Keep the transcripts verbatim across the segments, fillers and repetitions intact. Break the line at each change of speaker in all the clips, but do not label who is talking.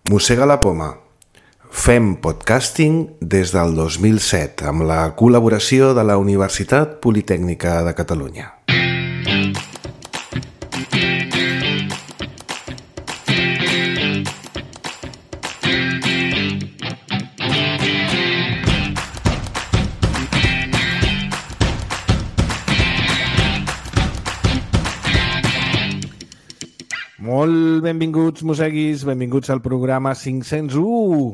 Mossega la poma. Fem podcasting des del dos mil set amb la col·laboració de la Universitat Politècnica de Catalunya. Molt benvinguts, mosseguis, benvinguts al programa cinc-cents u.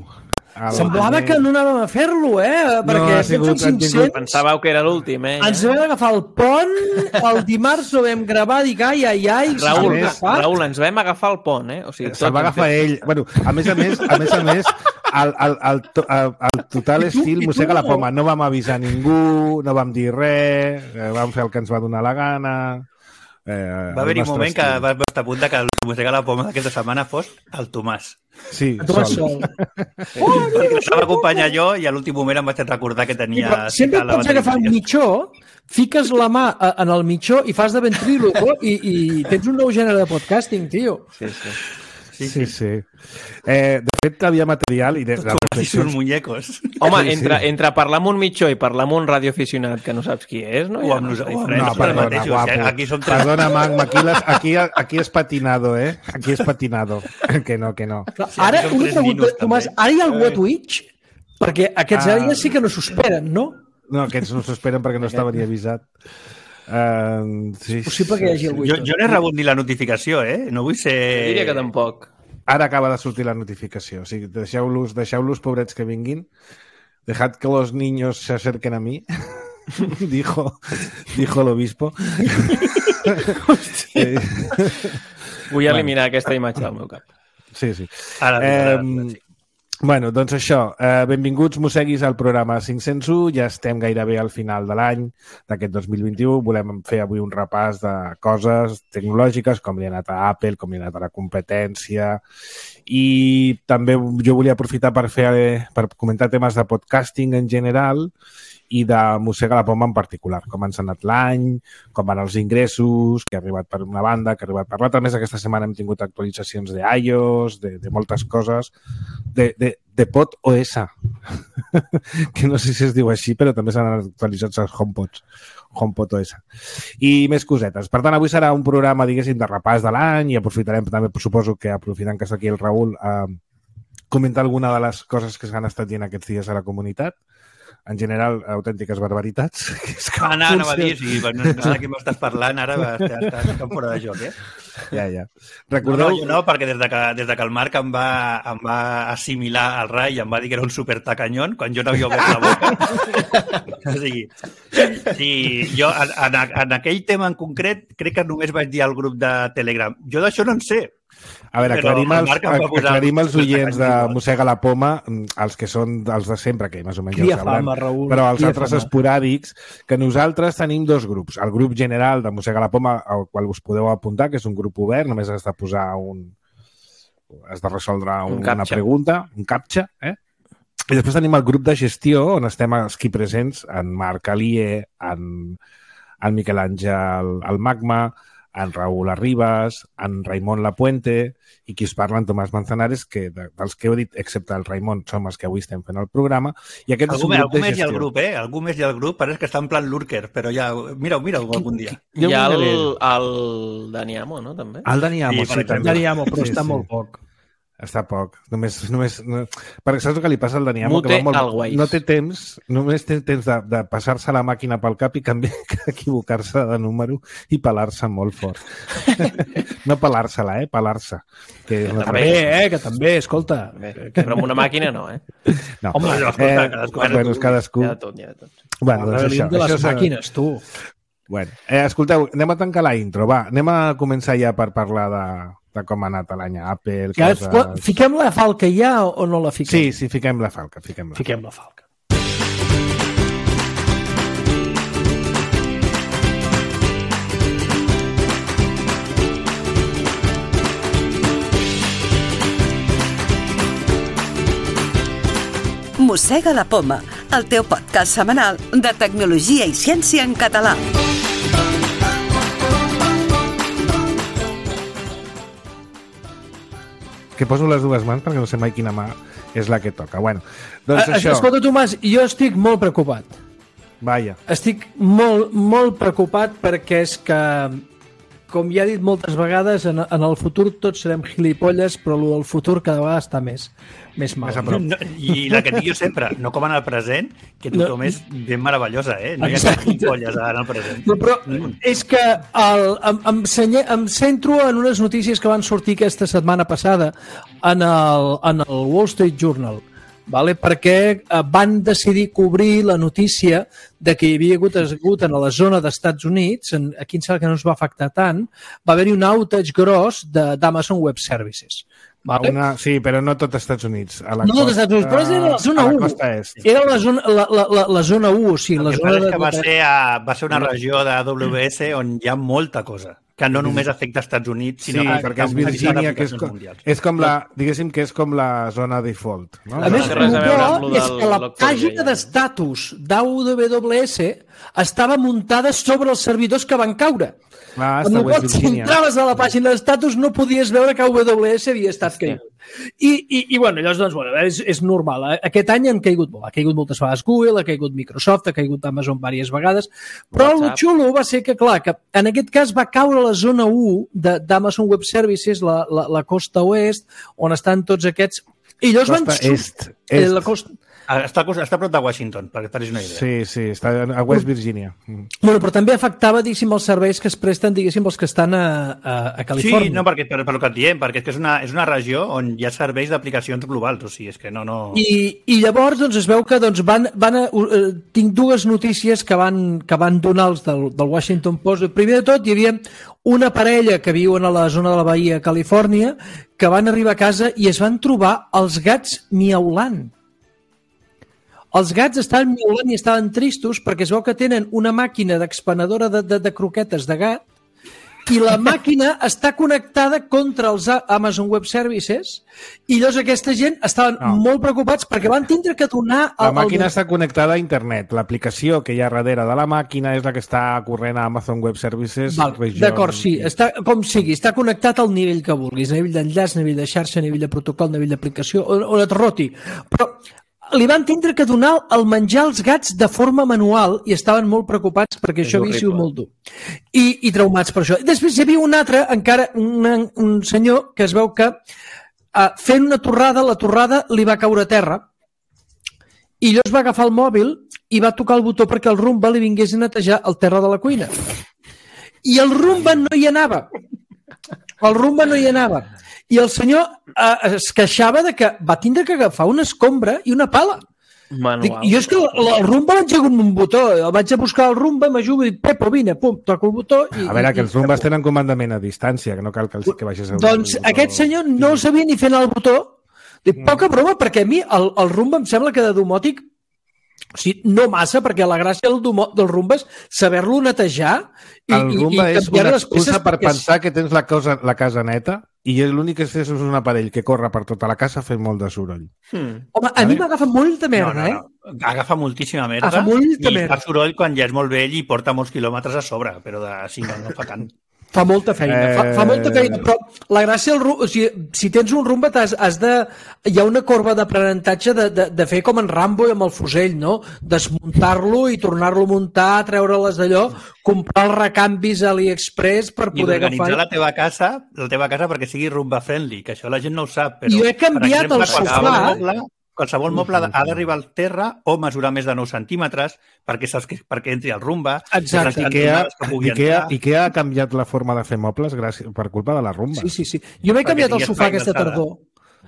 El...
Semblava que no anàvem a fer-lo, eh? Perquè no, sigut, cinc-cents...
Pensàveu que era l'últim, eh?
Ens vam agafar el pont, el dimarts ho vam gravar, dic, ai, ai, ai...
Raül, Raül, ens vam agafar el pont, eh? O sigui,
se'l va agafar ell. Bueno, a més a més, a més a més, el, el, el, el, el total estil mossega la poma. No vam avisar ningú, no vam dir res, vam fer el que ens va donar la gana...
Eh, va haver-hi un moment estil. Que va estar a punt de que el mossega la poma d'aquesta setmana fos el Tomàs.
Sí,
el Tomàs sol.
sol. Oh, perquè l'estava acompanyar jo i a l'últim moment em vaig recordar que tenia...
Sí, sempre et pots agafar un mitjó, fiques la mà en el mitjó i fas de ventríloco i, i tens un nou gènere de podcasting, tio.
Sí, sí.
Sí, sí. sí. Eh, de fet, havia material i... De, de
reflexions... muñecos.
Home, sí, entre, sí. entre parlar amb un mitjó i parlar amb un radioaficionat que no saps qui és, no?
O amb nosaltres.
No, no, perdona, guapo. Aquí som tres... Perdona, Magma, aquí, les, aquí, aquí és patinado, eh? Aquí és patinado. Que no, que no.
Clar, ara, una pregunta, minuts, Tomàs, ara hi ha algú a Twitch? Perquè aquests ah. àrees sí que no s'ho esperen, no?
No, aquests no s'ho esperen perquè no estava ni avisat. Uh, sí,
és possible que hi hagi algú.
Jo, jo no he rebut ni la notificació, eh? No vull ser...
Jo diria que tampoc.
Ara acaba de sortir la notificació. O sigui, deixeu-los, deixeu-los, pobrets que vinguin. Dejad que los niños se acerquen a mí. dijo, dijo el obispo.
sí. Vull eliminar bueno. aquesta imatge del meu cap.
Sí, sí.
Ara,
eh,
ara, sí.
Bueno, doncs això, eh, benvinguts, mosseguis, al programa cinc-cents u. Ja estem gairebé al final de l'any d'aquest dos mil vint-i-u. Volem fer avui un repàs de coses tecnològiques, com li ha anat a Apple, com li ha anat a la competència. I també jo volia aprofitar per fer per comentar temes de podcasting en general i de mossega la poma en particular, com ens ha anat l'any, com van els ingressos, que ha arribat per una banda, que ha arribat per l'altra. A més, aquesta setmana hem tingut actualitzacions d'iOS, de, de moltes coses, de, de, de PodOS, que no sé si es diu així, però també s'han actualitzat els HomePods, HomePodOS. I més cosetes. Per tant, avui serà un programa, diguéssim, de repàs de l'any i aprofitarem també, suposo que aprofitant que està aquí el Raül, a comentar alguna de les coses que s'han estat dient aquests dies a la comunitat. En general, autèntiques barbaritats.
Ah, no, no va dir, sí, no, no sé de què m'estàs parlant, ara estàs, estàs fora de joc, eh?
Ja, ja. Recordeu...
No, no, no, perquè des de, que, des de que el Marc em va, em va assimilar al Rai i em va dir que era un supertacanyón, quan jo no havia obert la boca. O sigui, sí, jo en, en aquell tema en concret crec que només vaig dir al grup de Telegram. Jo d'això no en sé.
A veure, aclarim els, aclarim els oients de Mossega la Poma, els que són els de sempre, que més o menys ja ho sabem, però els altres esporàdics, que nosaltres tenim dos grups. El grup general de Mossega la Poma, al qual us podeu apuntar, que és un grup obert, només has de posar un... has de resoldre un, un una pregunta, un captcha, eh? I després tenim el grup de gestió, on estem aquí presents, en Marc Alié, en, en Miquel Àngel, el Magma, en Raül Arribas, en Raimon Lapuente i qui us parla, en Tomàs Manzanares, que de, dels que heu dit, excepte el Raimon, som els que avui estem fent el programa. I aquest
algú,
és un grup
algú
de
més
gestió.
Hi ha el grup, eh? Algú més hi ha el grup, pareix que està en plan lurker, però ja... Mira-ho, mira-ho algun dia.
Hi ha el, el Dani Amo, no? També?
El Dani Amo, sí,
sí també. Dani Amo, però sí, està sí. molt poc.
Està poc. Només, només, no... Perquè saps el que li passa al Dani Amo?
Mute
que va molt...
always.
No té temps, només té temps de, de passar-se la màquina pel cap i canviar, equivocar-se de número i pelar-se molt fort. No pelar-se-la, eh? Pelar-se.
Que, que no també, eh? Que també, escolta.
Bé, però amb una màquina no, eh?
No.
Home, no, escolta,
eh,
cadascú.
Bueno, cadascú.
Hi ha de tot, hi ha de tot.
Bueno, doncs això.
De les
això
màquines, tu.
Bueno, eh, escolteu, anem a tancar la intro, va. Anem a començar ja per parlar de... de com ha anat l'any a Apple,
que
coses...
Fiquem la falca ja o no la fiquem?
Sí, sí, fiquem la falca. Fiquem la,
fiquem la falca.
Mossega la poma, el teu podcast setmanal de tecnologia i ciència en català.
que poso les dues mans perquè no sé mai quina mà és la que toca. Bueno, doncs
a,
això...
Escolta, Tomàs, jo estic molt preocupat.
Vaja.
Estic molt, molt preocupat perquè és que, com ja he dit moltes vegades, en, en el futur tots serem gilipolles, però el del futur cada vegada està més, més mal.
No, I la que dic jo sempre, no com en el present, que tothom no. és ben meravellosa, eh? No hi ha cap gilipolles en el present.
No, però és que el, em, em, senye, em centro en unes notícies que van sortir aquesta setmana passada en el, en el Wall Street Journal. Vale? Perquè van decidir cobrir la notícia de que hi havia hagut, hagut en la zona d'Estats Units, en, aquí em sembla que no es va afectar tant, va haver-hi un outage gros d'Amazon Web Services. Vale?
Una, sí, però no tot als Estats Units. A la
no
costa,
tot als Estats Units, però era la zona u. Era la zona, la, la, la, la zona u, o sigui,
el
la
que
zona
és
de...
que va ser, a, va ser una regió de A W S on hi ha molta cosa, que no només afecta als Estats Units, sinó
sí,
que
perquè és Virgínia, que és com, és com la, diguéssim que és com la zona default. No?
A més,
no res a veure amb
és que la pàgina d'estatus d'A W S estava muntada sobre els servidors que van caure.
Ah,
amb la qual, si entraves a la pàgina d'estatus no podies veure que A W S havia estat caigut. I, i, i bueno, llavors, doncs, bueno, és, és normal. Aquest any han caigut molt. Ha caigut moltes vegades Google, ha caigut Microsoft, ha caigut Amazon diverses vegades, però WhatsApp. El xulo va ser que, clar, que en aquest cas va caure la zona u d'Amazon Web Services, la, la, la costa oest, on estan tots aquests... I llavors
costa
van...
est. est.
La costa...
Està, està a prop de Washington, perquè et facis una idea.
Sí, sí, està a West Virginia.
Bueno, però també afectava, diguéssim, els serveis que es presten, diguéssim, els que estan a, a, a Califòrnia.
Sí, no, perquè, per, per el que et diem, perquè és que és una, és una regió on hi ha serveis d'aplicacions globals, o sigui, és que no... no...
I, i llavors, doncs, es veu que doncs, van, van a, uh, tinc dues notícies que van, que van donar els del, del Washington Post. Primer de tot, hi havia una parella que viuen a la zona de la Bahia, Califòrnia, que van arribar a casa i es van trobar els gats miaulant. Els gats estaven miaulant i estaven tristos perquè es veu que tenen una màquina d'expenedora de, de, de croquetes de gat i la màquina està connectada contra els Amazon Web Services i llavors aquesta gent estaven no. molt preocupats perquè van tindre que donar...
El, la màquina el... està connectada a internet. L'aplicació que hi ha darrere de la màquina és la que està corrent a Amazon Web Services.
D'acord, sí. Està, com sigui, està connectat al nivell que vulguis, a nivell d'enllaç, a nivell de xarxa, a nivell de protocol, a nivell d'aplicació, on, on et roti. Però li van tindre que donar el menjar als gats de forma manual i estaven molt preocupats perquè és això havia sigut molt dur. I, I traumats per això. I després hi havia un altre, encara un, un senyor que es veu que uh, fent una torrada, la torrada li va caure a terra i llavors va agafar el mòbil i va tocar el botó perquè el Roomba li vingués a netejar el terra de la cuina. I el Roomba no hi anava. El Roomba no hi anava. I el senyor eh, es queixava de que va tindre que agafar una escombra i una pala. Dic, jo és que el, el Roomba l'engego amb un botó. El vaig a buscar el Roomba, m'ajuda i dic, Pepo, vine, pum, toco el botó. I,
a veure,
i,
que els Roombas tenen comandament a distància, que no cal que, els, que baixes el
doncs
botó.
Aquest senyor no sabia ni fer anar el botó. Dic, poca broma, perquè a mi el, el Roomba em sembla que de domòtic, o sigui, no massa, perquè la gràcia del, del Roomba és saber-lo netejar i,
el Roomba i, i
és
una excusa per pensar és... que tens la, cosa, la casa neta i l'únic que és un aparell que corre per tota la casa fent molt de soroll.
Hmm. Home, a mi m'agafa molta merda, no, no, no.
eh? Agafa moltíssima merda
agafa molta
i
merda.
fa soroll quan ja és molt vell i porta molts quilòmetres a sobre, però de, sí, no, no fa tant.
Fa molta feina, eh... fa, fa molta feina, però la gràcia, el, o sigui, si tens un Roomba has, has de... Hi ha una corba d'aprenentatge de, de, de fer com en Rambo i amb el fusell, no? Desmuntar-lo i tornar-lo a muntar, treure-les d'allò, comprar els recanvis a AliExpress per poder agafar...
I organitzar la teva casa, la teva casa perquè sigui Roomba friendly, que això la gent no ho sap, però...
Jo he canviat
exemple,
el sofà...
Moble, qualsevol moble ha d'arribar al terra o mesurar més de nou centímetres perquè, saps que, perquè entri al Roomba.
Exacte. Ikea, Ikea, Ikea ha canviat la forma de fer mobles gràcies, per culpa de la Roomba.
Sí, sí, sí. Jo m'he canviat el sofà aquesta tardor.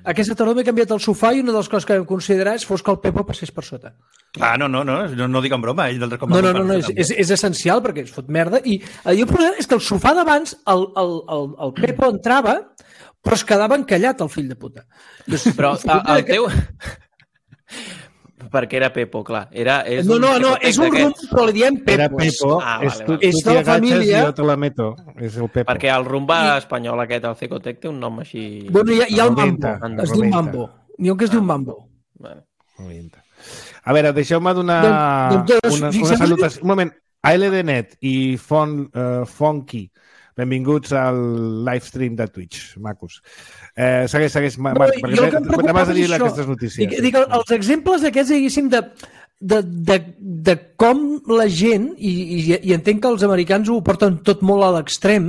Aquesta tardor m'he canviat el sofà i una de les coses que vam considerar és fos que el Pepo passés per sota.
Ah, no, no, no, no, no dic en broma. Ell del
no, no, no, no és, és, és essencial perquè es fot merda. I el problema és que el sofà d'abans, el, el, el, el Pepo entrava, però es quedava encallat, el fill de puta.
Però el, el teu... Perquè era Pepo, clar. Era, és
no, no, no, és un Roomba, però li diem Pepo.
Era Pepo,
ah,
és,
vale,
tu,
vale.
tu t'hi agatxes i jo te la meto. És el Pepo.
Perquè el Roomba I... espanyol aquest, el Cecotec, té un nom així...
Bueno, hi ha, hi ha el Mambo, es diu Mambo. N'hi ha un que es diu Mambo.
Bueno.
A veure, deixeu-me donar
doncs, doncs,
una, una salutació. Un moment, A L D net i Fon, uh, Fonky Benvinguts al livestream de Twitch, macos. Eh, segueix, segueix,
No,
Marc,
jo
perquè
el que em preocupava
anaves a dir
és això.
aquestes notícies.
Dic, dic, els exemples aquests, diguéssim, de, de, de, de com la gent, i, i, i entenc que els americans ho porten tot molt a l'extrem,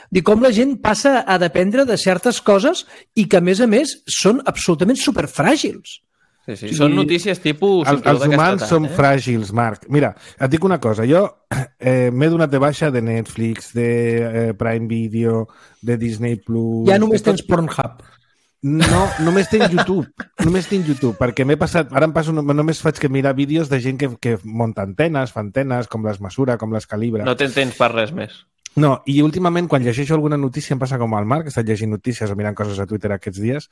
de com la gent passa a dependre de certes coses i que, a més a més, són absolutament superfràgils.
Sí, sí. Són notícies tipus...
El, els humans som eh? fràgils, Marc. Mira, et dic una cosa. Jo eh, m'he donat de baixa de Netflix, de eh, Prime Video, de Disney Plus...
Ja només
tot...
tens Pornhub.
No, només tinc YouTube. Només tinc YouTube, perquè m'he passat... Ara em passo, només faig que mirar vídeos de gent que, que munta antenes, fa antenes, com les mesura, com les calibra.
No tens temps per res més.
No, i últimament, quan llegeixo alguna notícia, em passa com al Marc, he estat llegint notícies o mirant coses a Twitter aquests dies,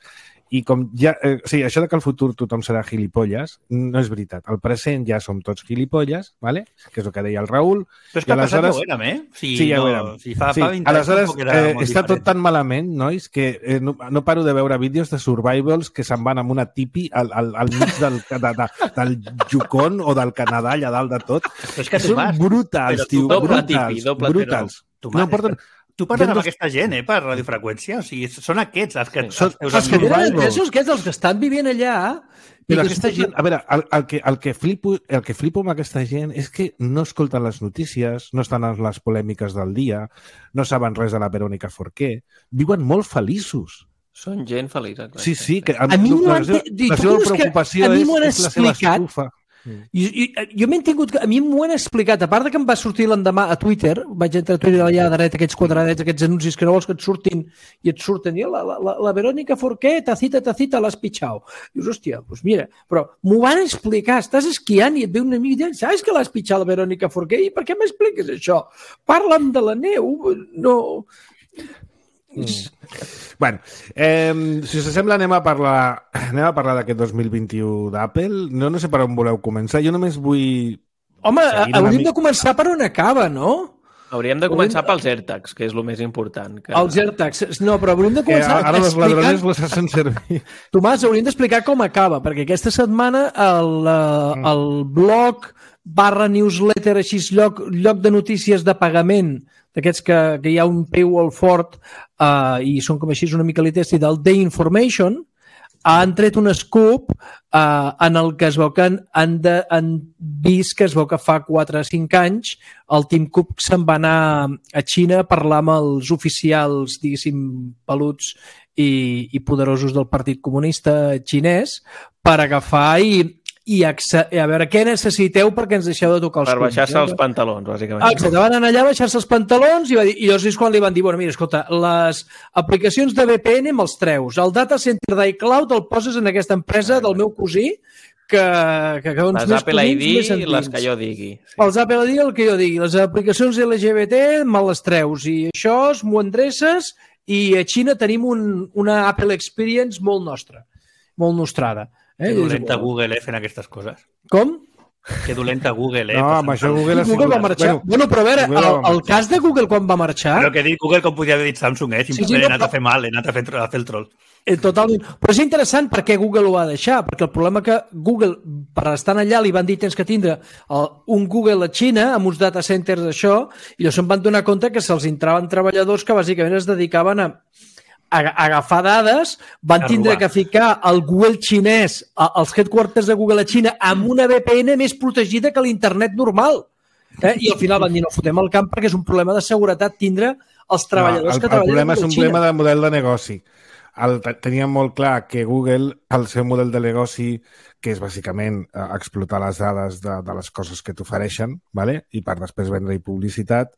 i com ja... Eh, o sigui, això de que al futur tothom serà gilipolles, no és veritat. Al present ja som tots gilipolles, ¿vale? Que és el que deia el Raül.
Però és que
aleshores...
passat ja ho érem, eh? Si
sí, ja
no,
ho érem.
Si fa,
sí.
fa vint
aleshores,
anys
eh, està tot tan malament, nois, que eh, no, no paro de veure vídeos de survivals que se'n van amb una tipi al, al, al mig del, de, de, del Yukon o del Canadà, allà dalt de tot.
Però és que
són
Tomàs,
brutals, tio,
doble
brutals,
tipi, doble
brutals.
Tomàs,
no, porten...
Tu parles amb
dos...
aquesta gent, eh, per radiofreqüència? O sigui, són aquests els que...
Són-
els teus
els
Que
amics.
tenen
survivals.
interessos, que és els que estan vivint allà... i
Però
que
aquesta
estan-
gent, a veure, el, el, que, el, que flipo, el que flipo amb aquesta gent és que no escolten les notícies, no estan en les polèmiques del dia, no saben res de la Verònica Forqué, viuen molt feliços.
Són gent feliç. Exacte.
Sí, sí, que
A mi m'ho
la,
han-
seva,
i
la
tu
seva
creus que
preocupació
a mi
és,
m'ho han
és la seva
explicat?
estufa.
I, i, jo m'he tingut... A mi m'ho han explicat, a part de que em va sortir l'endemà a Twitter, vaig entrar a Twitter allà a dreta, aquests quadradets, aquests anuncis que no vols que et surtin, i et surten, i la, la, la, la Verònica Forqué, tacita, tacita, l'has pitjau. Dius, hòstia, doncs mira, però m'ho van explicar, estàs esquiant i et ve un amic i diu, saps que l'has pitjat la Verònica Forqué? I per què m'expliques això? Parla'm de la neu, no...
Mm. Bueno, eh, si us sembla anem a parlar anem a parlar d'aquest dos mil vint-i-u d'Apple. No, no sé per on voleu començar. Jo només vull...
Home,
Seguint una
hauríem
mica-
de començar per on acaba, no?
Hauríem de començar pels AirTags, que és el més important. Que...
Els AirTags. No, però hauríem de
Que
començar
ara els
explicant...
ladrones les hacen servir.
Tomàs, hauríem d'explicar com acaba, perquè aquesta setmana el, mm. el blog barra newsletter, així lloc, lloc de notícies de pagament, d'aquests que, que hi ha un paywall fort uh, i són com així una mica litesti del The Information, han tret un scoop uh, en el que es veu que han, han, de, han vist que es veu que fa quatre o cinc anys el Tim Cook se'n va anar a Xina a parlar amb els oficials, diguéssim, peluts i, i poderosos del Partit Comunista xinès per agafar i i a veure què necessiteu perquè ens deixeu de tocar els
Per
collons.
baixar-se els pantalons, bàsicament.
Ah, exacte, van anar allà a baixar-se els pantalons i, va dir, i llavors és quan li van dir, bueno, mira, escolta, les aplicacions de V P N me'ls treus, el data center d'iCloud el poses en aquesta empresa del meu cosí que, que, que uns
Les
més
Apple I
cosins,
D
més
i les
endins.
que jo digui. Sí.
Els Apple I D, el que jo digui. Les aplicacions L G B T me les treus i això m'ho endreces i a Xina tenim un, una Apple Experience molt nostra, molt nostrada. Eh?
Que dolenta Google, eh, fent aquestes coses.
Com?
Que dolenta Google, eh?
No, amb això Google ha
Google va
sigut...
marxar. Bueno, bueno, però a veure,
Google
el,
va
el
marxar.
cas de Google quan va marxar...
Però que he dit Google com podia haver dit Samsung, eh?
Sí,
Simplement
sí, no,
he anat
però-
a fer mal, he anat a fer, a fer el troll.
Eh, totalment. Però és interessant per què Google ho va deixar, perquè el problema que Google, per estar allà, li van dir tens que tindre el, un Google a Xina amb uns data centers d'això, i llavors se'n van donar compte que se'ls entraven treballadors que bàsicament es dedicaven a, a, a agafar dades, van
A
tindre
robar.
que ficar el Google xinès, a, els headquarters de Google a Xina, amb una V P N més protegida que l'internet normal. Eh? I al final van dir, no, fotem el camp perquè és un problema de seguretat tindre els treballadors
no, el,
que
el
treballen
problema
a
és un
Xina.
problema de model de negoci. El, teníem molt clar que Google, el seu model de negoci, que és bàsicament eh, explotar les dades de, de les coses que t'ofereixen, ¿vale? I per després vendre-hi publicitat,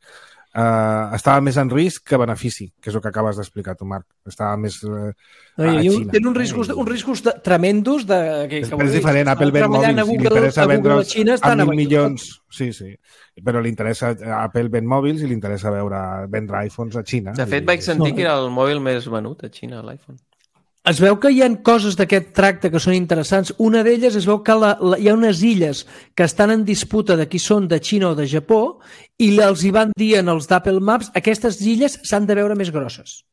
eh, estava més en risc que benefici, que és el que acabes d'explicar tu, Marc. Estava més eh,
No,
a
i
Xina.
tenen uns riscos, uns riscos de, tremendos de, que,
És,
que
és diferent, Apple ven mòbils, si li interessa vendre'ls a mil milions... Sí, sí, però li interessa, Apple ven mòbils i li interessa veure, vendre iPhones a Xina.
De fet,
I-
vaig sentir que era el mòbil més venut a Xina, l'iPhone.
Es veu que hi ha coses d'aquest tracte que són interessants. Una d'elles es veu que la, la, hi ha unes illes que estan en disputa de qui són, de Xina o de Japó, i els hi van dir en els d'Apple Maps aquestes illes s'han de veure més grosses.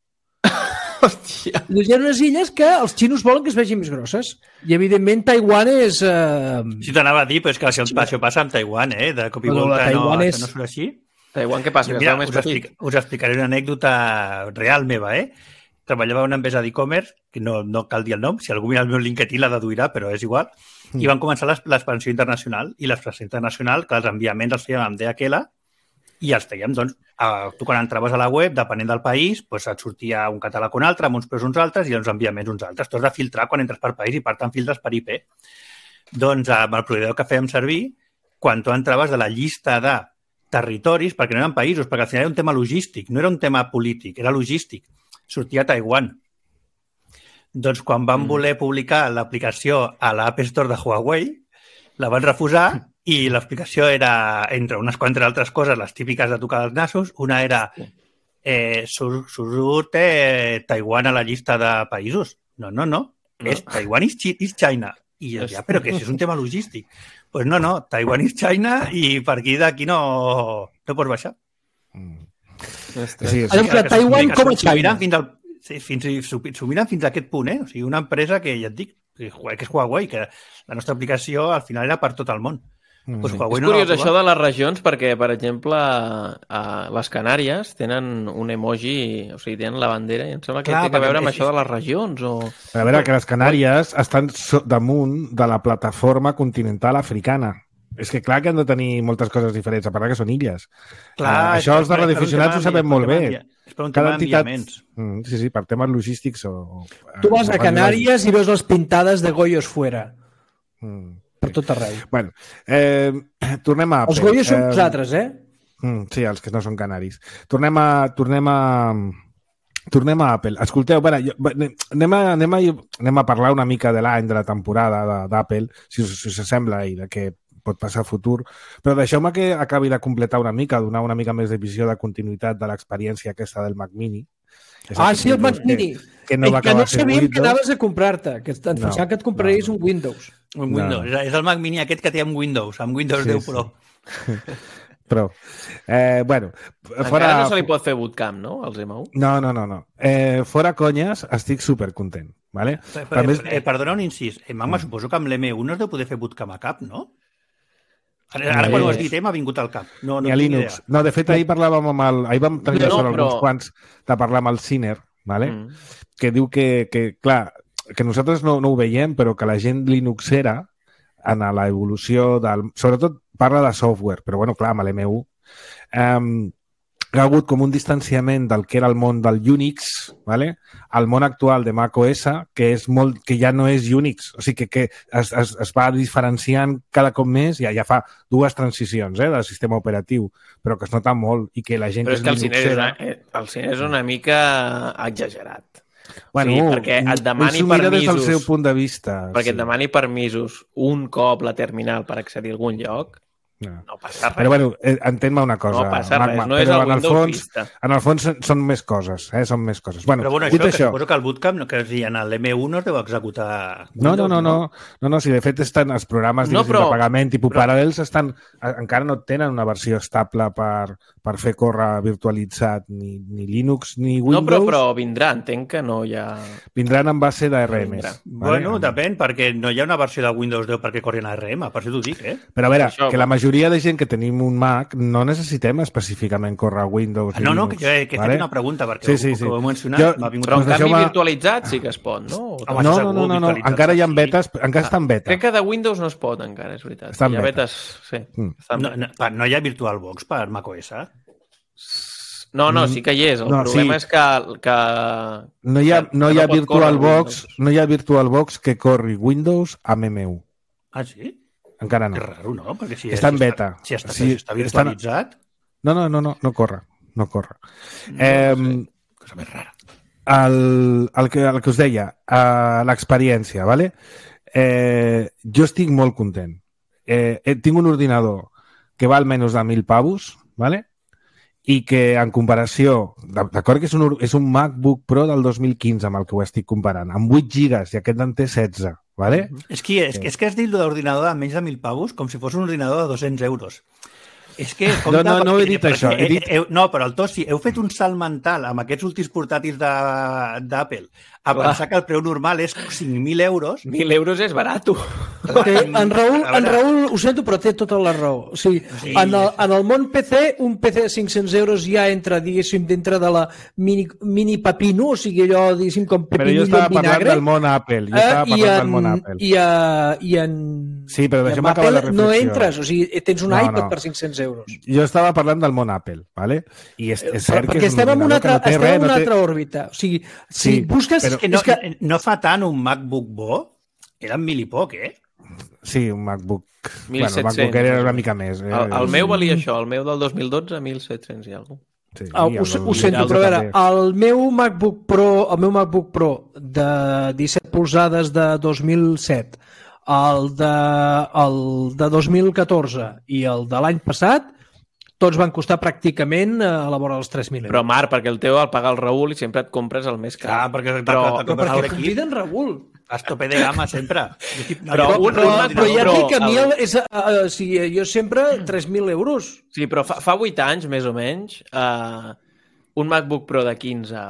Hòstia.
Hi ha unes illes que els xinos volen que es vegin més grosses. I, evidentment, Taiwan és... Eh...
Si t'anava a dir, però és que això, això passa amb Taiwan, eh? De cop i
Bueno,
volta,
la Taiwan
no,
és-
això no surt així.
Taiwan, què passa?
Mira,
més
us,
petit?
explica, us explicaré una anècdota real meva, eh? Treballava en una empresa d'e-commerce, que no, no cal dir el nom, si algú mira el meu LinkedIn la deduirà, però és igual, mm. i van començar l'expansió internacional, i l'expansió internacional, que els enviaments els fèiem amb D H L, i els fèiem, doncs, a, tu quan entraves a la web, depenent del país, doncs et sortia un catàleg un altre, amb uns preus uns altres, i els enviaments uns altres. Tu has de filtrar quan entres per país, i per tant filtres per I P. Doncs amb el proveïdor que fèiem servir, quan tu entraves de la llista de territoris, perquè no eren països, perquè al final era un tema logístic, no era un tema polític, era logístic. Sortia a Taiwan. Doncs quan van voler publicar l'aplicació a l'App Store de Huawei, la van refusar i l'explicació era, entre unes quantes altres coses, les típiques de tocar els nassos, una era eh, surt, surt eh, Taiwan a la llista de països. No, no, no. no. És Taiwan is, is China. I jo, ja, però que si és un tema logístic. Doncs pues no, no, Taiwan is China i per aquí d'aquí no, no pots baixar.
Mm.
Sí, sí. Adem, Taiwan com a China.
Fins al, sí, fins, s'ho miren fins a aquest punt, eh? O sigui, una empresa que, ja et dic, que és Huawei, que la nostra aplicació al final era per tot el món.
Mm. Pues Huawei és no curiós això de les regions perquè, per exemple, a les Canàries tenen un emoji, o sigui, tenen la bandera i em sembla que Clar, té a veure amb és... això de les regions. O...
A veure, que les Canàries estan damunt de la plataforma continental africana. És que clar que han de tenir moltes coses diferents, a part que són illes. Clar, uh, això els de radioaficionats ho sabem molt bé.
És per un tema d'enviaments.
Mm, sí, sí, per temes logístics. O,
tu vas a Canàries i veus les pintades de Goyos fuera. Mm, per tot arreu.
Bueno, eh, tornem a...
Els Goyos són eh, vosaltres, eh?
Mm, sí, els que no són canaris. Tornem a... Tornem a... Tornem a Apple. Escolteu, bueno, jo, anem, a, anem, a, anem a parlar una mica de l'any, de la temporada d'Apple, si us, si us sembla, i de què pot passar a futur, però deixeu-me que acabi de completar una mica, donar una mica més de visió de continuïtat de l'experiència aquesta del Mac Mini.
Ah, sí, el Mac Mini.
Que, que no, va
que no sabíem que anaves a comprar-te, que et pensava no, que et compraries no, no. un Windows.
Un Windows. No. És el Mac Mini aquest que té amb Windows, amb Windows sí, deu Pro.
Sí. Però, eh, bueno...
Encara fora... no se li pot fer bootcamp, no, als M U?
No, no, no. no. Eh, fora conyes, estic supercontent. Vale?
Per, per, més... eh, perdona un incís. Eh, Magma, mm. suposo que amb l'M u no es deu poder fer bootcamp a cap, no? Ara, ara quan ho has dit, eh, m'ha vingut al cap. No, no
a Linux. Idea. No, de fet, ahir parlàvem amb el... Ahir vam tenir no, no, però... uns quants de parlar amb el Ciner, vale? mm. que diu que, que, clar, que nosaltres no, no ho veiem, però que la gent linuxera en l'evolució del... Sobretot parla de software, però, bueno, clar, amb l'M u um, hi ha hagut com un distanciament del que era el món del Unix, ¿vale? Al món actual de macOS, que és molt, que ja no és Unix, o sigui que, que es, es, es va diferenciant cada cop més, ja, ja fa dues transicions eh, del sistema operatiu, però que es nota molt i que la gent
però
que
és que el Ciner és, una, el Ciner és una mica exagerat.
Bueno,
sí, perquè et demani permisos,
des del seu punt de vista.
Perquè
sí.
et demani permisos un cop la terminal per accedir a algun lloc, no, no passa res.
Però, bueno, entén-me una cosa.
No passa res,
Magma,
no és
el
en el
fons,
Vista.
En el fons són més coses, eh? Són més coses. Bueno,
però, bueno, això, això... suposo que el bootcamp, que si en l'M u no es deu executar...
No, no, no, no, no, no, si de fet estan els programes no, però, de pagament tipus però... Parallels estan, encara no tenen una versió estable per, per fer córrer virtualitzat ni, ni Linux ni Windows.
No, però, però vindrà, entenc que no hi ha...
Vindran en base d'R M S.
Vale? Bueno, depèn, perquè no hi ha una versió de Windows deu perquè corri en A R M, per això t'ho dic, eh?
Però a veure, això, que la majoria de gent que tenim un Mac no necessitem específicament córrer Windows.
Ah, no, no, que, jo he, que he
vale?
fet una pregunta perquè
sí, sí,
ho,
sí.
ho he mencionat.
Jo,
m'ha vingut
però en canvi
deixeu-me...
virtualitzat sí que es pot, no?
No, no, no, no, no, no. encara hi ha betes, encara està en beta.
Crec que de Windows no es pot encara, és veritat.
Està en
hi ha
beta.
betes, sí.
Mm.
No, no, no hi ha VirtualBox per macOS?
No, no, sí que hi és. El
no,
problema
sí.
és que... que
no hi ha, no hi ha
no
VirtualBox, no hi ha VirtualBox que corri Windows amb M u.
Ah, sí?
Encara no.
És raro, no? Perquè si
està en beta.
Si està,
si
si està virtualitzat...
No, no, no, no, no corre. No corre. No, eh,
no sé. Cosa més rara.
El, el, que, el que us deia, uh, l'experiència, ¿vale? Eh, jo estic molt content. Eh, eh, tinc un ordinador que val menys de mil pavos, ¿vale? I que en comparació, d'acord que és un, és un MacBook Pro del dos mil quinze amb el que ho estic comparant, amb vuit gigas i aquest en té setze, ¿vale?
És que, és, és que has dit l'ordinador de menys de mil pavos com si fos un ordinador de dos-cents euros. És que...
No, no, no he dit això. He dit...
Heu, no, però el Tossi, heu fet un salt mental amb aquests últims portàtils d'Apple a pensar que el preu normal és cinc mil euros.
Mil euros és barat.
Té, en, Raül, en Raül, ho sento, però té tota la raó. O sigui, sí, en, el, en el món P C, un P C de cinc-cents euros ja entra, diguéssim, dintre de la mini, mini pepino, o sigui, allò, diguéssim, com pepinillo en vinagre.
Però jo estava parlant del món Apple. Jo estava parlant
en,
del món Apple.
I, a, i en...
Sí, però deixa'm acabar la reflexió.
No entres, o sigui, tens un
no,
iPad
no.
per cinc-cents euros.
Jo estava parlant del món Apple, ¿vale? I és, és cert
perquè
que és un
estem en una altra,
no té
estem
res,
en una
no té...
altra òrbita. O sigui, si
sí,
busques...
Però... És que no, és que... no fa tant un MacBook bo, era mil i poc, eh?
Sí, un MacBook...
mil set-cents.
Bueno, el MacBook era una mica més. Eh?
El, el meu valia això, el meu del dos mil dotze, mil set-cents i alguna cosa.
Sí,
ah, ho, ho sento, però a veure, el meu MacBook Pro, el meu MacBook Pro de disset polzades de dos mil set, el de, el de dos mil catorze i el de l'any passat, tots van costar pràcticament a la vora dels tres mil euros.
Però, Marc, perquè el teu el paga el Raül i sempre et compres el més car.
Clar, perquè,
però,
però,
però perquè conviden Raül.
Has tope de gamma sempre.
Però, però, però, però ja et dic que a mi el, és, uh, uh, si jo sempre tres mil euros.
Sí, però fa, fa vuit anys, més o menys, uh, un MacBook Pro de quinze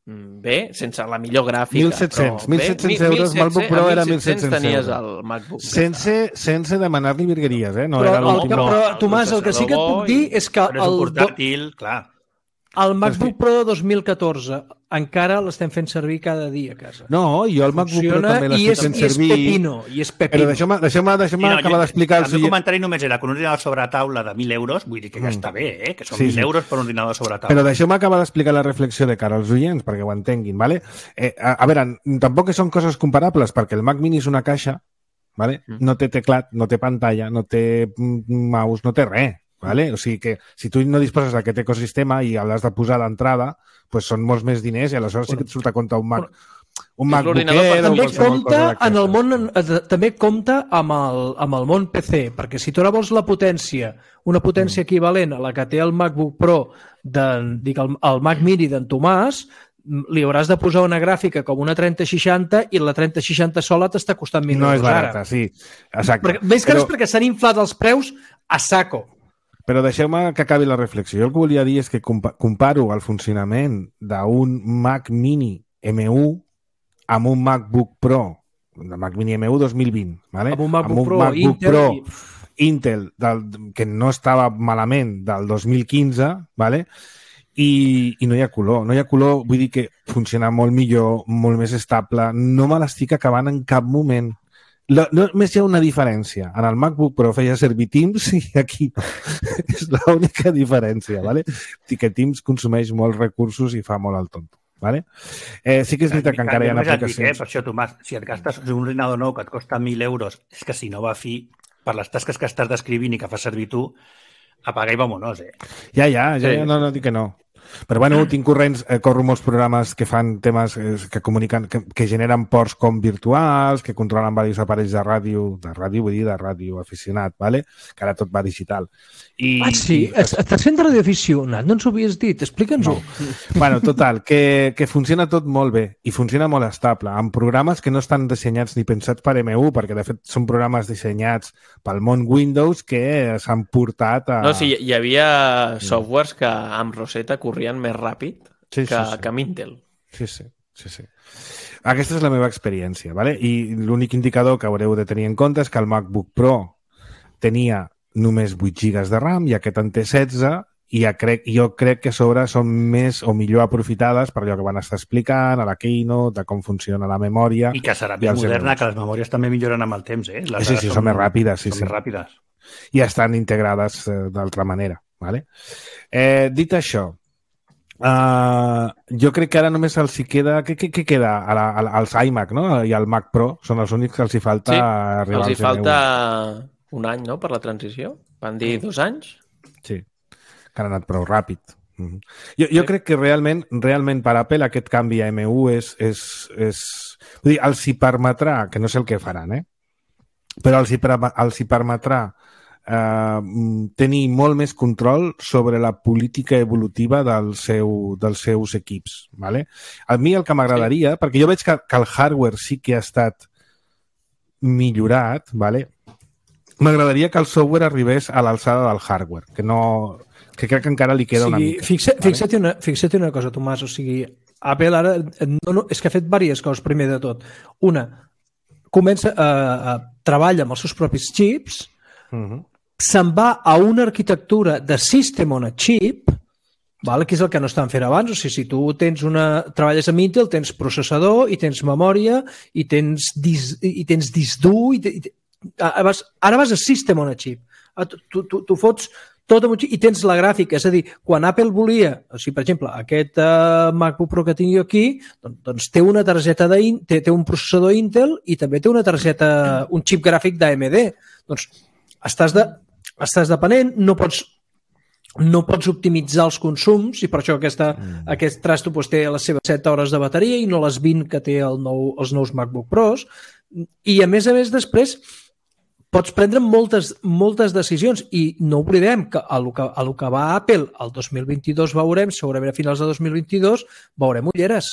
bé, sense la millor gràfica.
mil set-cents, mil set-cents euros, MacBook Pro era mil set-cents
tenies
euros.
el MacBook.
Sense, sense demanar-li virgueries, eh? No
però,
era
el, però, però, Tomàs, el que sí que et puc dir és que
però és un
el,
portàtil, clar.
el MacBook Pro de dos mil catorze encara l'estem fent servir cada dia a casa.
No, jo el MacBook Pro també l'estic fent servir.
I és pepino, i és pepino.
Però deixeu-me deixeu deixeu
no,
acabar d'explicar...
El meu comentari només era que un ordinador sobre taula de mil euros, vull dir que ja està bé, eh? Que són
sí,
mil
sí.
euros per un ordinador sobre taula.
Però deixeu-me acabar d'explicar la reflexió de cara als oients, perquè ho entenguin, ¿vale? Eh, a, a veure, tampoc són coses comparables, perquè el Mac Mini és una caixa, ¿vale? No té teclat, no té pantalla, no té mouse, no té res. ¿Vale? O sigui que si tu no disposes d'aquest ecosistema i l'has de posar d'entrada, pues són molts més diners i aleshores sí que et surt a compte un Mac. Un MacBook Air,
també compta en el món, també compta amb el, amb el món P C, perquè si tu ara vols la potència, una potència equivalent a la que té el MacBook Pro, de, dic, el, el Mac Mini d'en Tomàs, li hauràs de posar una gràfica com una trenta seixanta i la trenta seixanta sola t'està costant mil
no
euros
és barata,
ara.
Sí, exacte.
Perquè, més que res perquè s'han inflat els preus a saco.
Però deixeu-me que acabi la reflexió. Jo el que volia dir és que comparo el funcionament d'un Mac Mini M u amb un MacBook Pro, el Mac Mini M u dos mil vint, ¿vale?
Amb un MacBook,
amb un
Pro,
MacBook
Intel,
Pro
i...
Intel del, que no estava malament del dos mil quinze, ¿vale? I, i no hi ha color. No hi ha color, vull dir que funciona molt millor, molt més estable. No me l'estic acabant en cap moment. La, només hi ha una diferència. En el MacBook Pro feia servir Teams i aquí no. És l'única diferència, ¿vale? I que Teams consumeix molts recursos i fa molt el tonto. ¿Vale? Eh, sí que és veritat que encara hi ha aplicacions...
Eh? Per això, Tomàs, si et gastes un ordinador nou que et costa mil euros, és que si no va a fi, per les tasques que estàs descrivint i que fas servir tu, apaga i vámonos, eh?
Ja, ja, ja, ja no, no dic que no. Però bueno, tinc corrents, eh, corro molts programes que fan temes eh, que comuniquen, que, que generen ports com virtuals, que controlen diversos aparells de ràdio, de ràdio vull dir de ràdio aficionat, ¿vale? Que ara tot va digital. I,
ah, sí? I... Estàs fent ràdio aficionat? No ens ho havies dit, explica'ns-ho.
No. Bueno, total, que, que funciona tot molt bé i funciona molt estable, amb programes que no estan dissenyats ni pensats per M u, perquè de fet són programes dissenyats pel món Windows que s'han portat a...
No, sí, hi havia softwares que amb Rosetta corrien més ràpid
sí,
que,
sí, sí.
que amb Intel.
Sí, sí, sí, sí. Aquesta és la meva experiència, ¿vale? I l'únic indicador que haureu de tenir en compte és que el MacBook Pro tenia només vuit gigas de RAM i aquest en té setze i ja crec, jo crec que a sobre són més o millor aprofitades per allò que van estar explicant a la Keynote, de com funciona la memòria.
I que serà més moderna, que les memòries també milloren amb el temps, eh? Les
sí, sí, són, són més ràpides. Sí,
són
sí.
més ràpides.
I estan integrades eh, d'altra manera, ¿vale? Eh, dit això, uh, jo crec que ara només els hi queda... Què, què, què queda? A la, a, als iMac, no? I al Mac Pro són els únics que els hi falta
sí,
arribar
els hi
al
falta un any, no?, per la transició. Van dir dos anys?
Sí, que han anat prou ràpid. Mm-hmm. Jo, jo sí. crec que realment, realment per Apple aquest canvi a M u és... és, és... Vull dir, els hi permetrà, que no sé el que faran, eh? Però els hi, els hi permetrà eh, tenir molt més control sobre la política evolutiva del seu, dels seus equips. ¿Vale? A mi el que m'agradaria, sí. perquè jo veig que, que el hardware sí que ha estat millorat, ¿vale? M'agradaria que el software arribés a l'alçada del hardware, que no... que crec que encara li queda
o sigui,
una mica.
Fixa, vale? Fixa't una, fixa't una cosa, Tomàs, o sigui, Apple ara no, no, és que ha fet diverses coses, primer de tot. Una, comença a, a treballa amb els seus propis xips,
Uh-huh.
se'n va a una arquitectura de System on a Chip, vale? Que és el que no estan fent abans. O sigui, si tu tens una, treballes amb Intel, tens processador i tens memòria i tens disc, i tens disc dur i, i, ara, vas, ara vas a System on a Chip. Tu, tu, tu fots tot amb un xip i tens la gràfica. És a dir, quan Apple volia, o sigui, per exemple, aquest uh, MacBook Pro que tinc jo aquí, doncs, doncs té una targeta de, té, té un processador Intel i també té una targeta, un xip gràfic d'A M D. Doncs estàs, de, estàs depenent, no pots, no pots optimitzar els consums i per això aquesta, mm. aquest trasto doncs, té les seves set hores de bateria i no les vint que té el nou, els nous MacBook Pros. I a més a més després pots prendre moltes, moltes decisions i no oblidem que a lo que, a lo que va Apple el dos mil vint-i-dos veurem, segurament a finals de dos mil vint-i-dos, veurem ulleres.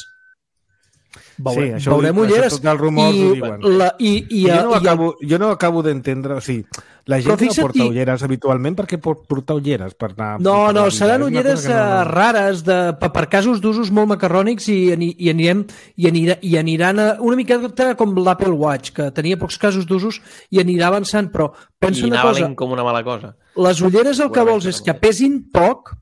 Veure,
sí, això
veurem
ho,
ulleres
això tots els rumors
i,
ho diuen.
La, i, i,
jo, no
i,
acabo, jo no acabo d'entendre, o sigui, la gent no porta ulleres habitualment, per què pot portar ulleres? Per anar,
no,
per
no,
anar
seran ulleres no... rares de, per, per casos d'usos molt macarrònics i, i, anirem, i, anirà, i aniran a, una miqueta com l'Apple Watch, que tenia pocs casos d'usos i anirà avançant, però pensa
I
una cosa.
com una mala cosa.
Les ulleres el que vols és que pesin poc,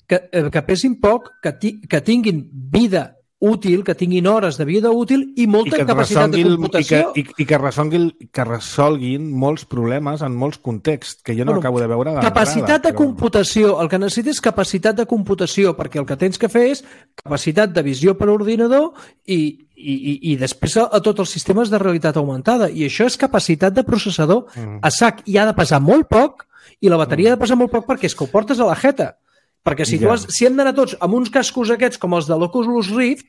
que, que pesin poc, que, ti, que tinguin vida útil, que tinguin hores de vida útil i molta I capacitat de computació.
I que, i, i que, resolguin, que resolguin molts problemes en molts contexts, que jo no bueno, acabo de veure de
capacitat de
però...
computació. El que necessites és capacitat de computació, perquè el que tens que fer és capacitat de visió per ordinador i, i, i, i després a, a tots els sistemes de realitat augmentada. I això és capacitat de processador mm. a sac. I ha de pesar molt poc i la bateria mm. ha de pesar molt poc perquè és que ho portes a la jeta. Perquè si, ja. tu has, si hem d'anar tots amb uns cascos aquests com els de l'Oculus Rift,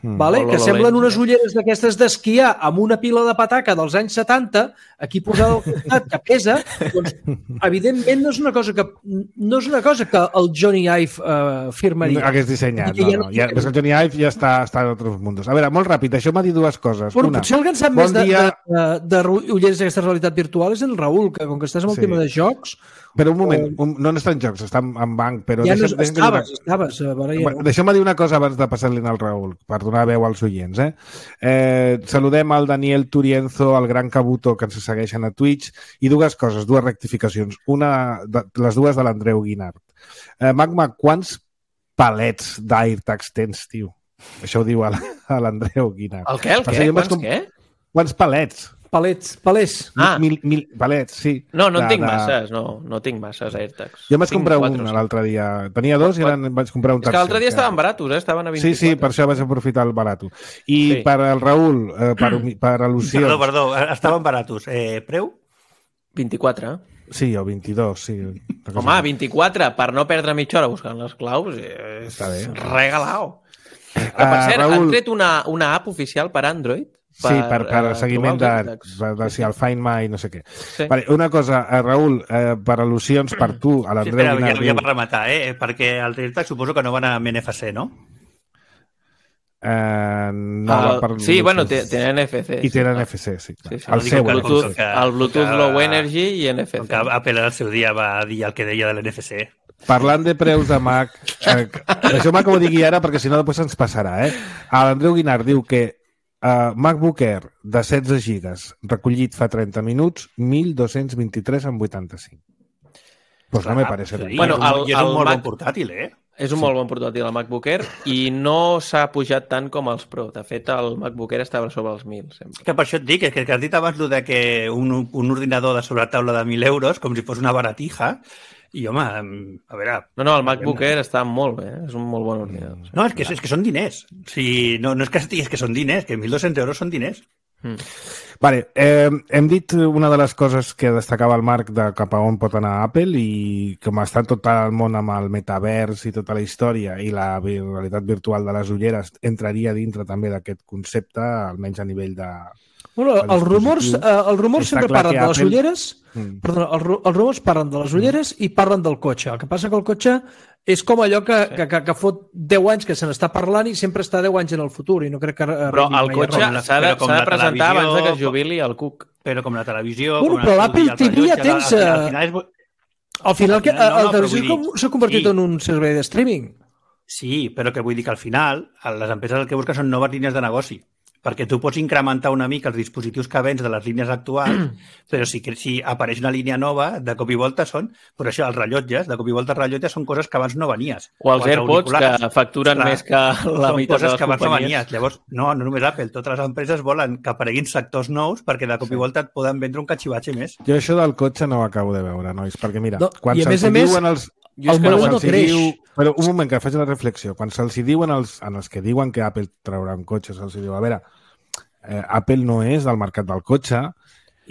mm. vale, que semblen unes ulleres d'aquestes d'esquiar amb una pila de pataca dels anys setanta, aquí posada al costat, que pesa, doncs, evidentment no és una cosa que, no és una cosa que el Johnny Ive uh, firmaria.
No, hagués dissenyat, no, no. no. Ja, el Johnny Ive ja està, està en altres mundos. A veure, molt ràpid, això m'ha dit dues coses.
Bueno,
una,
potser el que en sap
bon
més de,
dia...
de, de, de ulleres d'aquesta realitat virtual és el Raül, que com que estàs amb el sí. tema de jocs...
Però un moment, un, no està en jocs, està en, en banc, però...
Ja no
deixa'm,
estaves,
deixa'm
estaves. estaves ja no.
Deixa'm dir una cosa abans de passar-li al Raül, per donar veu als oients. Eh? Eh, saludem al Daniel Turienzo, al Gran Cabuto, que ens segueixen a Twitch, i dues coses, dues rectificacions. Una, de, les dues de l'Andreu Guinart. Eh, Magma, quants palets d'AirTags tens, tio? Això ho diu a l'Andreu Guinart.
El què? El què? Quants com... què?
Quants palets?
Palets, palets.
Ah. Mil, mil, palets, sí.
No, no en
de,
tinc
de...
masses, no, no tinc masses AirTags.
Jo vaig comprar un l'altre dia. Tenia dos i eren, vaig comprar un tercer.
És que l'altre dia estaven baratos, eh? Estaven a vint-i-quatre.
Sí, sí, per això vaig aprofitar el barato. I sí. per al Raül, eh, per, per al·lusions...
Perdó, perdó, estaven baratos. Eh, preu?
vint-i-quatre.
Sí, o vint-i-dos, sí.
Home, vint-i-quatre, per no perdre mitja hora buscant les claus, és regalao. Uh, per cert, Raül... han tret una, una app oficial per Android.
Per, sí, per, per uh, seguiment de, de, de si el Find My no sé què. Sí. Vale, una cosa, eh, Raül, eh, per al·lusions per tu, a l'Andreu sí,
Guinart... Ja, ja per rematar, eh? Perquè el AirTag suposo que no van amb N F C, no?
Eh, no
el,
per
sí, bueno, tenen N F C.
I tenen N F C, sí.
sí, sí.
El,
el,
seu,
Bluetooth,
que,
el Bluetooth que, Low Energy i N F C.
Que Apple al seu dia va dir el que deia de l'N F C.
Parlant de preus de Mac, eh, això Mac ho digui ara perquè si no després ens passarà, eh? L'Andreu Guinart diu que Uh, MacBook Air de setze gigas recollit fa trenta minuts, mil dos-cents vint-i-tres amb vuitanta-cinc. Pues no me parece
sí, bueno, el, és un molt Mac... bon portàtil, eh?
És un sí. molt bon portàtil el MacBook Air i no s'ha pujat tant com els Pro. De fet, el MacBook Air estava sobre els mil. Sempre.
Que per això et dic, que, que has dit abans de que un, un ordinador de sobretaula de mil euros, com si fos una baratija, i, home, a veure...
No, no, el MacBook Air està molt bé, és un molt bon ordinador.
No, és que, és que són diners. O sigui, no, no és que estiguis, és que són diners, que mil dos-cents euros són diners.
Mm. Vale, eh, hem dit una de les coses que destacava el Marc de cap a on pot anar Apple i com està tot el món amb el metavers i tota la història i la realitat virtual de les ulleres entraria dintre també d'aquest concepte, almenys a nivell de...
Bueno, els rumors, eh, els rumors sempre parlen de les Apple... ulleres, mm. perdona, els, els rumors parlen de les ulleres mm. i parlen del cotxe. El que passa que el cotxe és com allò que, sí. que, que, que fot deu anys que se n'està parlant i sempre està deu anys en el futur i no crec que...
Però el cotxe s'ha de, de presentar abans de que es jubili el Cook.
Però com la televisió...
Bueno, però l'Apple T V ja tens... Al final, és... al final que, no, no, la televisió s'ha convertit sí. en un servei de streaming.
Sí, però que vull dir que al final les empreses el que busquen són noves línies de negoci. perquè tu pots incrementar una mica els dispositius que vens de les línies actuals, però si, si apareix una línia nova, de cop i volta són, per això els rellotges, de cop i volta els rellotges són coses que abans no venies.
O els AirPods, que facturen clar, més que la meitat de les
que abans
companyies.
No venies. Llavors, no, no només Apple, totes les empreses volen que apareguin sectors nous perquè de cop i volta et poden vendre un catxivatge més.
Jo això del cotxe no ho acabo de veure, nois, perquè mira,
no,
quan se'ls diuen els...
El model no creix.
Diu, però un moment, que faig la reflexió. Quan se'ls diuen els, en els que diuen que Apple traurà un cotxe, se'ls diu, a veure, eh, Apple no és del mercat del cotxe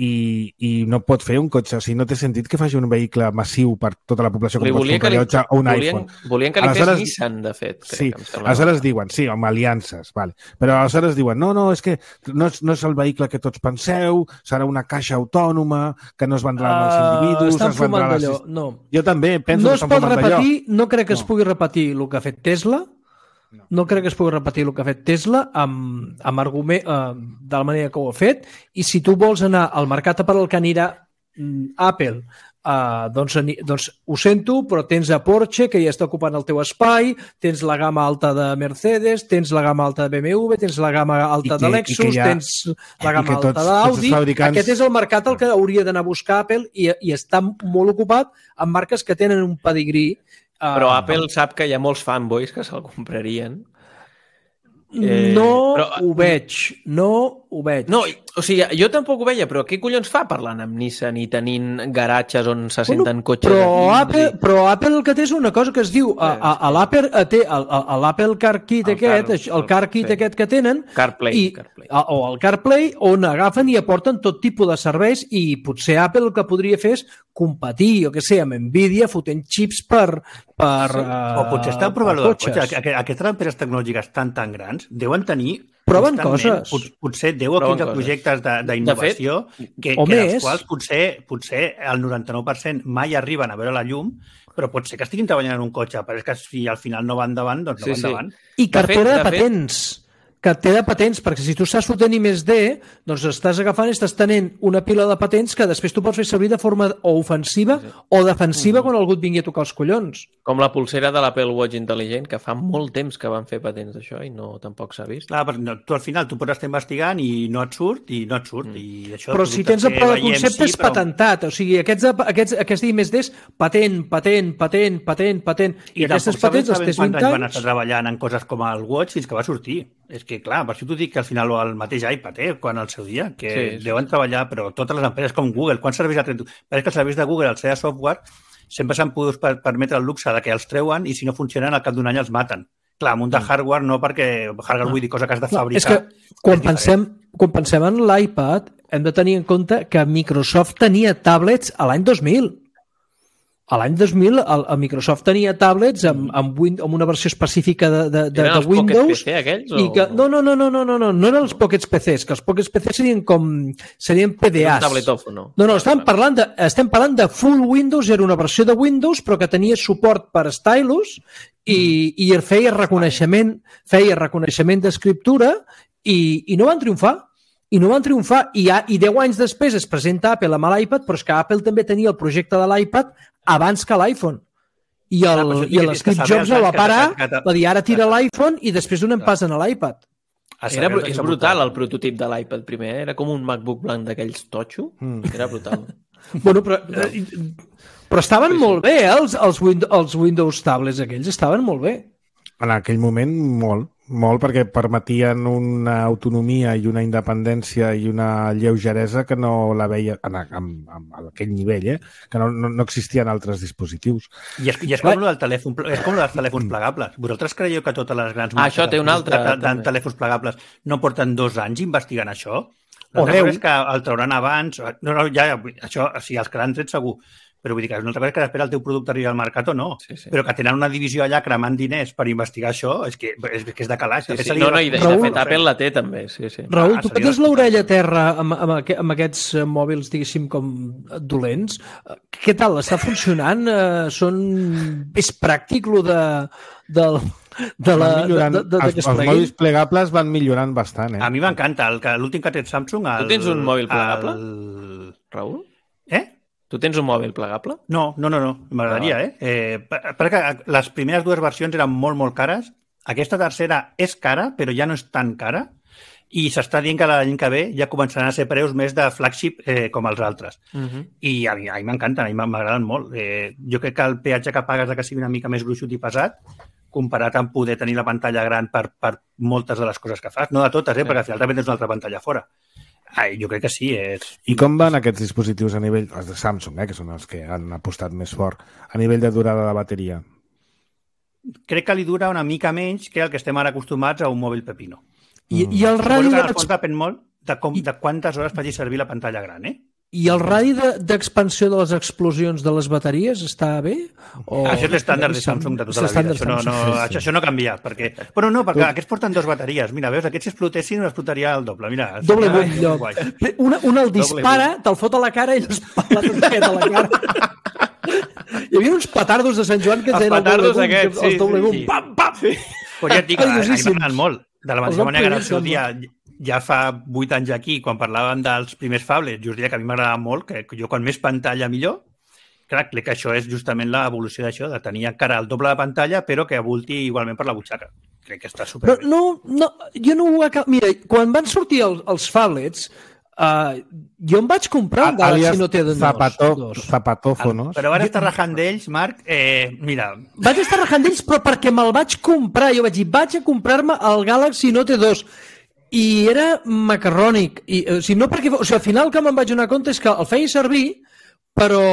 i, i no pot fer un cotxe. O sigui, no té sentit que faci un vehicle massiu per tota la població, com pots un rellotge o un
volien,
iPhone.
Volien que li aleshores, fes Nissan, de fet.
Sí, aleshores diuen, sí, amb aliances, vale. Però aleshores diuen, no, no, és que no és, no és el vehicle que tots penseu, serà una caixa autònoma, que no es vendrà uh, als individus...
Estan fumant d'allò, no.
Jo també penso
no
que estan fumant
d'allò. No crec que
no.
es pugui repetir el que ha fet Tesla, No. no crec que es pugui repetir el que ha fet Tesla amb, amb argument, eh, de la manera que ho ha fet, i si tu vols anar al mercat per al que anirà mm, Apple, eh, doncs, doncs ho sento, però tens a Porsche, que ja està ocupant el teu espai, tens la gamma alta de Mercedes, tens la gamma alta de B M W, tens la gamma alta que, de Lexus, ha, tens la gamma alta tots, d'Audi. Fabricants... Aquest és el mercat al que hauria d'anar a buscar Apple i, i està molt ocupat amb marques que tenen un pedigrí.
Però Apple sap que hi ha molts fanboys que se'l comprarien.
Eh, no però... ho veig, no ho veig.
No, o sigui, jo tampoc ho veia, però què collons fa parlant amb Nissan i tenint garatges on se senten bueno, cotxes
però
aquí?
Apple, i... Però Apple el que té és una cosa que es diu, a, a, a l'Apple té el, a l'Apple Car Kit el aquest, car, el, el Car Kit sí. aquest que tenen,
CarPlay,
i,
CarPlay.
A, o el CarPlay, on agafen i aporten tot tipus de serveis i potser Apple el que podria fer és competir, jo què sé, amb Nvidia fotent xips per... per
sí. uh, o potser estan provant del cotxe. Aquestes empreses tecnològiques tan tan grans deuen tenir
proven coses.
Pot, potser deu o quinze projectes d'innovació que, que dels quals potser, potser el noranta-nou per cent mai arriben a veure la llum, però pot ser que estiguin treballant en un cotxe, però és que si al final no va endavant, doncs no
sí,
va endavant.
Sí. I cartera de, fet, de patents. Fet... que té de patents, perquè si tu estàs fotent I més D, doncs estàs agafant i estàs tenint una pila de patents que després tu pots fer servir de forma o ofensiva sí. o defensiva mm. quan algú et vingui a tocar els collons.
Com la pulsera de l'Apple Watch intel·ligent, que fa molt temps que van fer patents d'això i no tampoc s'ha vist.
Clar, però no, tu al final tu pots estar investigant i no et surt, i no et surt. Mm. I això
però si tens el pla de concepte sí, és però... patentat, o sigui, aquests, aquests, aquests I més D patent, patent, patent, patent, patent, i,
i
aquestes patents els tens vint anys...
van estar treballant en coses com el Watch fins que va sortir. És que, clar, per això t'ho dic que al final el mateix iPad, eh, quan al seu dia, que sí, sí. deuen treballar, però totes les empreses com Google, quants serveis ha tret? Però és que els serveis de Google, al ser software, sempre s'han pogut permetre el luxe de que els treuen i si no funcionen al cap d'un any els maten. Clar, amb un de hardware no, perquè hardware no. vull dir cosa que has de fabricar.
És que quan, és pensem, quan pensem en l'iPad hem de tenir en compte que Microsoft tenia tablets a l'any dos mil. A l'any dos mil, el, el Microsoft tenia tablets amb, amb, win, amb una versió específica de, de, de, de Windows.
Eren els Pocket P C aquells?
I que, no, no, no, no, no, no, no, no eren els Pockets P Cs, que els Pockets P Cs serien com... serien P D As.
Un tabletòfon, no?
No, no, estem parlant, de, estem parlant de full Windows, era una versió de Windows, però que tenia suport per stylus i, i feia reconeixement, feia reconeixement d'escriptura i, i no van triomfar. I no van triomfar. I, ha, I deu anys després es presenta Apple amb l'iPad, però és que Apple també tenia el projecte de l'iPad abans que l'iPhone. I el, ah, i el Steve Jobs va parar, va dir, ara tira l'iPhone i després donen pas a l'iPad.
Era, és brutal el prototip de l'iPad primer, eh? Era com un MacBook blanc d'aquells totxo. Mm. Era brutal.
Bueno, però, però estaven sí, sí. molt bé, eh? els, els, Windows, els Windows tablets aquells estaven molt bé.
En aquell moment, molt. Molt, perquè permetien una autonomia i una independència i una lleugeresa que no la veia en, en, en, en aquell nivell, eh? Que no, no, no existien altres dispositius.
I és, i és com el del telèfon, és com el dels telèfons plegables. Vosaltres creieu que totes les grans
ah, això té un altre,
de, de, de telèfons plegables no porten dos anys investigant això? L'altra cosa és que el trauran abans... No, no, ja, això, o sigui, els que l'han tret segur. Però vull dir que és una altra cosa que després el teu producte arribi al mercat o no. Sí, sí. Però que tenen una divisió allà cremant diners per investigar això, és que és, que és de calaix.
Sí, sí. No, no, i de, Raül, de fet Apple la té també. Sí, sí.
Raül, ah, tu que tens l'orella a terra amb, amb, amb aquests mòbils, diguéssim, com dolents, què tal? Està funcionant? Són... És pràctic, lo de... del... De la,
millorant, de, de, de els, els mòbils plegables van millorant bastant. Eh?
A mi m'encanta. L'últim que ha tret Samsung... El,
tu tens un mòbil plegable,
el...
Raül?
Eh?
Tu tens un mòbil plegable?
No, no, no, no. M'agradaria, ah. eh? eh? Perquè les primeres dues versions eren molt, molt cares. Aquesta tercera és cara, però ja no és tan cara. i s'està dient que l'any que ve ja començaran a ser preus més de flagship eh, com els altres. Uh-huh. I a mi, a mi m'encanten, a mi m'agraden molt. Eh, jo crec que el peatge que pagues de que sigui una mica més gruixut i pesat, comparat amb poder tenir la pantalla gran per, per moltes de les coses que fas. No de totes, eh, perquè al final també tens una altra pantalla fora. Ai, jo crec que sí. És...
I com van aquests dispositius a nivell... Els de Samsung, eh, que són els que han apostat més fort, a nivell de durada de bateria?
Crec que li dura una mica menys que el que estem ara acostumats a un mòbil pepino.
I, i el radi...
Suposo que en el fons depèn molt de, com, de quantes hores faci servir la pantalla gran, eh?
I el radi d'expansió de, de les explosions de les bateries està bé? O...
Això és l'estàndard de Samsung de tota la vida. Això no, no, això, això no ha canviat. Perquè... Però no, perquè aquests porten dues bateries. Mira, veus, aquests si explotessin explotaria el doble. Mira,
doble bull, lloc. Una, una el dispara, te'l fot a la cara i els pala tot aquest a la cara. Hi havia uns petardos de Sant Joan que es deien el doble boom. Aquests, sí, el doble boom. Sí, sí. Pam, pam! Sí.
Pues ja et dic, a mi m'agraden molt. De la mateixa manera que el seu dia, ja fa vuit anys aquí, quan parlàvem dels primers phablets, just diria que a mi m'agradava molt, que jo quan més pantalla millor, clar, crec que això és justament l'evolució d'això, de tenir encara el doble de pantalla, però que avulti igualment per la butxaca. Crec que està superbé.
No, no, no, jo no ho acabo... Mira, quan van sortir els, els phablets, Uh, jo em vaig comprar un Galaxy Note dos.
Zapato, zapatófonos.
Però van estar rajant d'ells, Marc, eh, mira...
Vaig estar rajant d'ells, però perquè me'l vaig comprar. Jo vaig dir, vaig a comprar-me el Galaxy Note dos. I era macarrònic. I, o sigui, no perquè, o sigui, al final que me'n vaig donar compte és que el feia servir, però,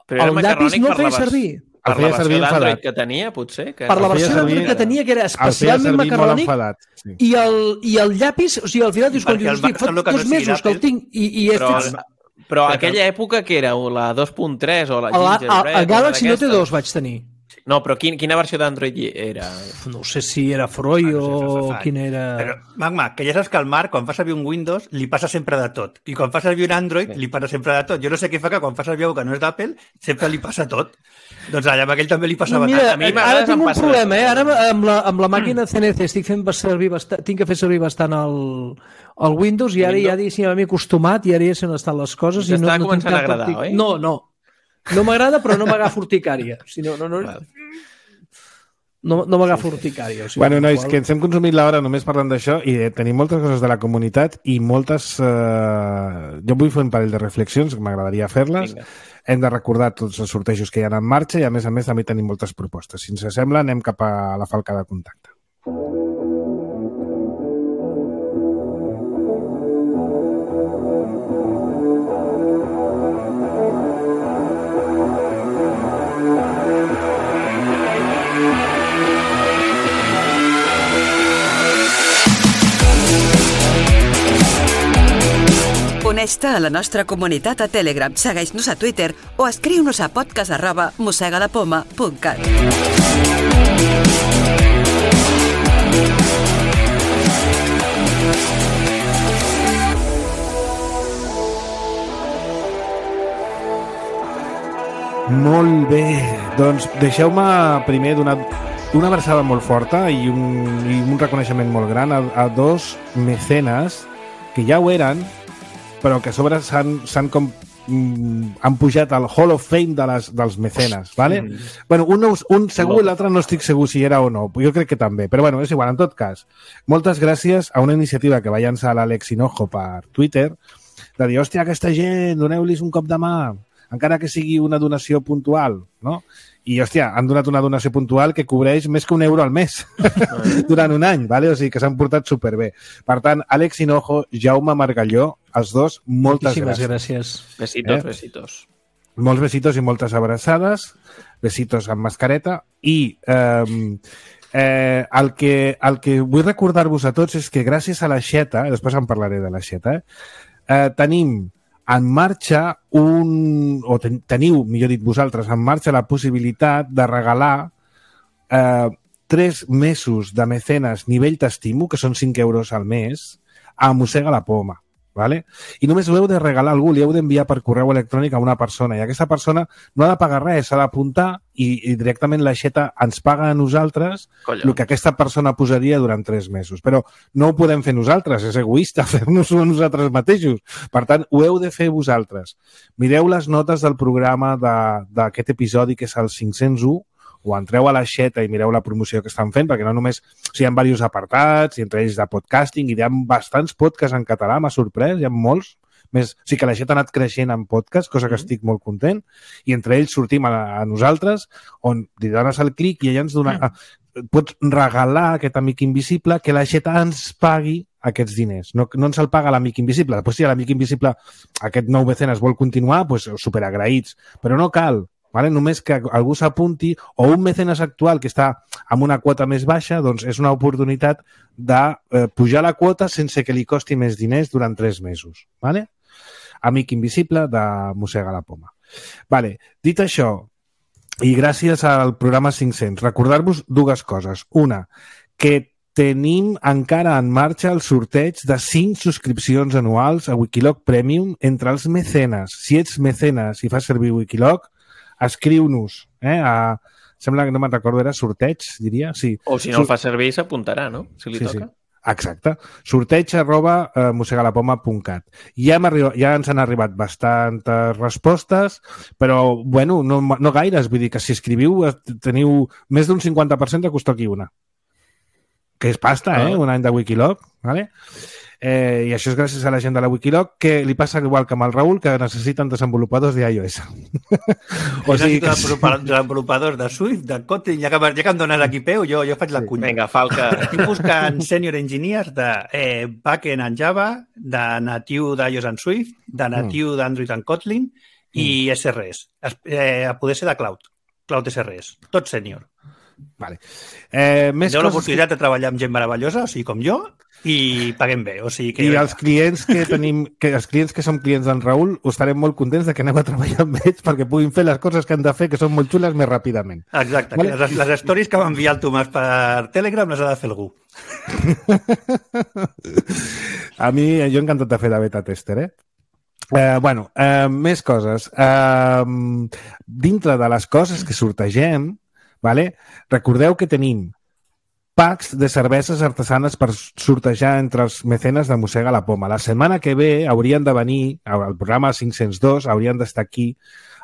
però el llapis no el feia servir.
Per la versió d'Android que tenia, potser? Que
per la versió d'Android que tenia, que era especialment macarrònic, i el, i el llapis, o sigui, al final dius, dius fa dos mesos que el tinc i, i és...
Però, però aquella època que era la dos punt tres o la Gingerbread...
El Galaxy Note dos vaig tenir.
No, però quin, quina versió d'Android era?
No sé si era Freud o no quin era...
Però, Magma, que ja saps que el Marc, quan fa servir un Windows, li passa sempre de tot. I quan fa servir un Android, li passa sempre de tot. Jo no sé què fa que quan fa servir algú que no és d'Apple, sempre li passa tot. Doncs allà amb aquell també li passava
no, mira,
tant.
A mi ara tinc un problema, eh? Ara amb la, amb la màquina C N C estic fent servir bastant, tinc que fer servir bastant el, el Windows i ara Windows? Ja diguéssim m'he acostumat i ara ja se n'han estat les coses. I no,
no començant a agradar, oi?
No, no. No m'agrada, però no m'agafo urticària. Si no, no, no... No, no m'agafo urticària. O sigui,
bueno, nois, qual... que ens hem consumit l'hora només parlant d'això i tenim moltes coses de la comunitat i moltes... Eh... Jo vull fer un parell de reflexions, que m'agradaria fer-les. Vinga. Hem de recordar tots els sortejos que hi ha en marxa i, a més a més, també tenim moltes propostes. Si ens sembla, anem cap a la falca de contacte.
Uneix-te a la nostra comunitat a Telegram, segueix-nos a Twitter o escriu-nos a podcast arroba mossegalapoma punt cat.
Molt bé, doncs deixeu-me primer donar una abraçada molt forta i un, i un reconeixement molt gran a, a dos mecenes que ja ho eren, però que a sobre s'han com mm, han pujat al Hall of Fame de les, dels mecenes, ¿vale? Mm. Bueno, un, un segur i l'altre no estic segur si era o no, jo crec que també, però bueno, és igual, en tot cas. Moltes gràcies a una iniciativa que va llançar l'Àlex Hinojo per Twitter, de dir, hòstia, aquesta gent, doneu-lis un cop de mà, encara que sigui una donació puntual, no? I, hòstia, han donat una donació puntual que cobreix més que un euro al mes durant un any, ¿vale? O sigui que s'han portat superbé. Per tant, Àlex Hinojo, Jaume Margalló, els dos, moltes
Moltíssimes
gràcies.
gràcies.
Besitos, eh? besitos.
Molts besitos i moltes abraçades, besitos amb mascareta, i eh, eh, el, que, el que vull recordar-vos a tots és que gràcies a la Xeta, després en parlaré de la Xeta, eh, eh, tenim en marxa un, o ten, teniu, millor dit vosaltres, en marxa la possibilitat de regalar eh, tres mesos de mecenes nivell t'estimo, que són cinc euros al mes, a Mossega la Poma. ¿Vale? I només ho heu de regalar a algú, li heu d'enviar per correu electrònic a una persona, i aquesta persona no ha de pagar res, s'ha d'apuntar i, i directament la Xeta ens paga a nosaltres Collons. El que aquesta persona posaria durant tres mesos. Però no ho podem fer nosaltres, és egoista fer-nos-ho a nosaltres mateixos. Per tant, ho heu de fer vosaltres. Mireu les notes del programa d'aquest episodi, que és el cinc-cents u, o entreu a l'aixeta i mireu la promoció que estan fent, perquè no només... O sigui, hi ha diversos apartats, i entre ells de podcasting, i hi ha bastants podcasts en català, m'ha sorprès, hi ha molts. Més, o sigui que l'aixeta ha anat creixent en podcast, cosa que estic molt content, i entre ells sortim a, a nosaltres, on li dones el clic i ella ens dona... Mm. Pots regalar aquest amic invisible que l'aixeta ens pagui aquests diners. No, no ens el paga l'amic invisible. Després, si l'amic invisible, aquest nou mecenes vol continuar, doncs superagraïts. Però no cal. Vale? Només que algú s'apunti, o un mecenes actual que està amb una quota més baixa, doncs és una oportunitat de eh, pujar la quota sense que li costi més diners durant tres mesos. Vale? Amic invisible de Mossega la Poma. Vale. Dit això, i gràcies al programa cinc-cents, recordar-vos dues coses. Una, que tenim encara en marxa el sorteig de cinc subscripcions anuals a Wikiloc Premium entre els mecenes. Si ets mecenes i fas servir Wikiloc, escriu-nos. Eh? A... Sembla que no me'n recordo, era sorteig, diria. Sí.
O si no el fa servir, s'apuntarà, no? Si li
sí,
toca.
Sí. Exacte. Sorteig arroba uh, mosegalapoma punt cat. Ja, arribat, ja ens han arribat bastantes respostes, però, bueno, no, no gaires. Vull dir que si escriviu teniu més d'un cinquanta per cent de que us toqui una. Que és pasta, eh? Un any de Wikiloc. Vale? Eh, I això és gràcies a la gent de la Wikiloc, que li passa igual que amb el Raül, que necessiten desenvolupadors d'iOS.
O sigui, que... desenvolupadors de Swift, de Kotlin, ja que, ja que em dones aquí peu, jo, jo faig la cunya.
Vinga, Falca.
Estic buscant senior engineers de eh, backend en Java, de natiu d'iOS en Swift, de natiu mm. d'Android en Kotlin i mm. S R S. Eh, a poder ser de Cloud, Cloud S R S. Tot sènior.
Vale. Eh, més
Teniu
coses...
l'oportunitat de treballar amb gent meravellosa, o sigui, com jo, i paguem bé. O sigui que...
I els clients que tenim, que els clients que som clients d'en Raül, estarem molt contents de que anem a treballar amb ells perquè puguin fer les coses que han de fer, que són molt xules, més ràpidament.
Exacte. Vale? Les, les stories que va enviar el Tomàs per Telegram les ha de fer algú.
A mi, jo encantat de fer de beta tester, eh? Eh, bueno, eh, més coses. Eh, dintre de les coses que sortegem, vale? Recordeu que tenim packs de cerveses artesanes per sortejar entre els mecenes de Mossega la Poma. La setmana que ve haurien de venir, al programa cinc-cents dos, haurien d'estar aquí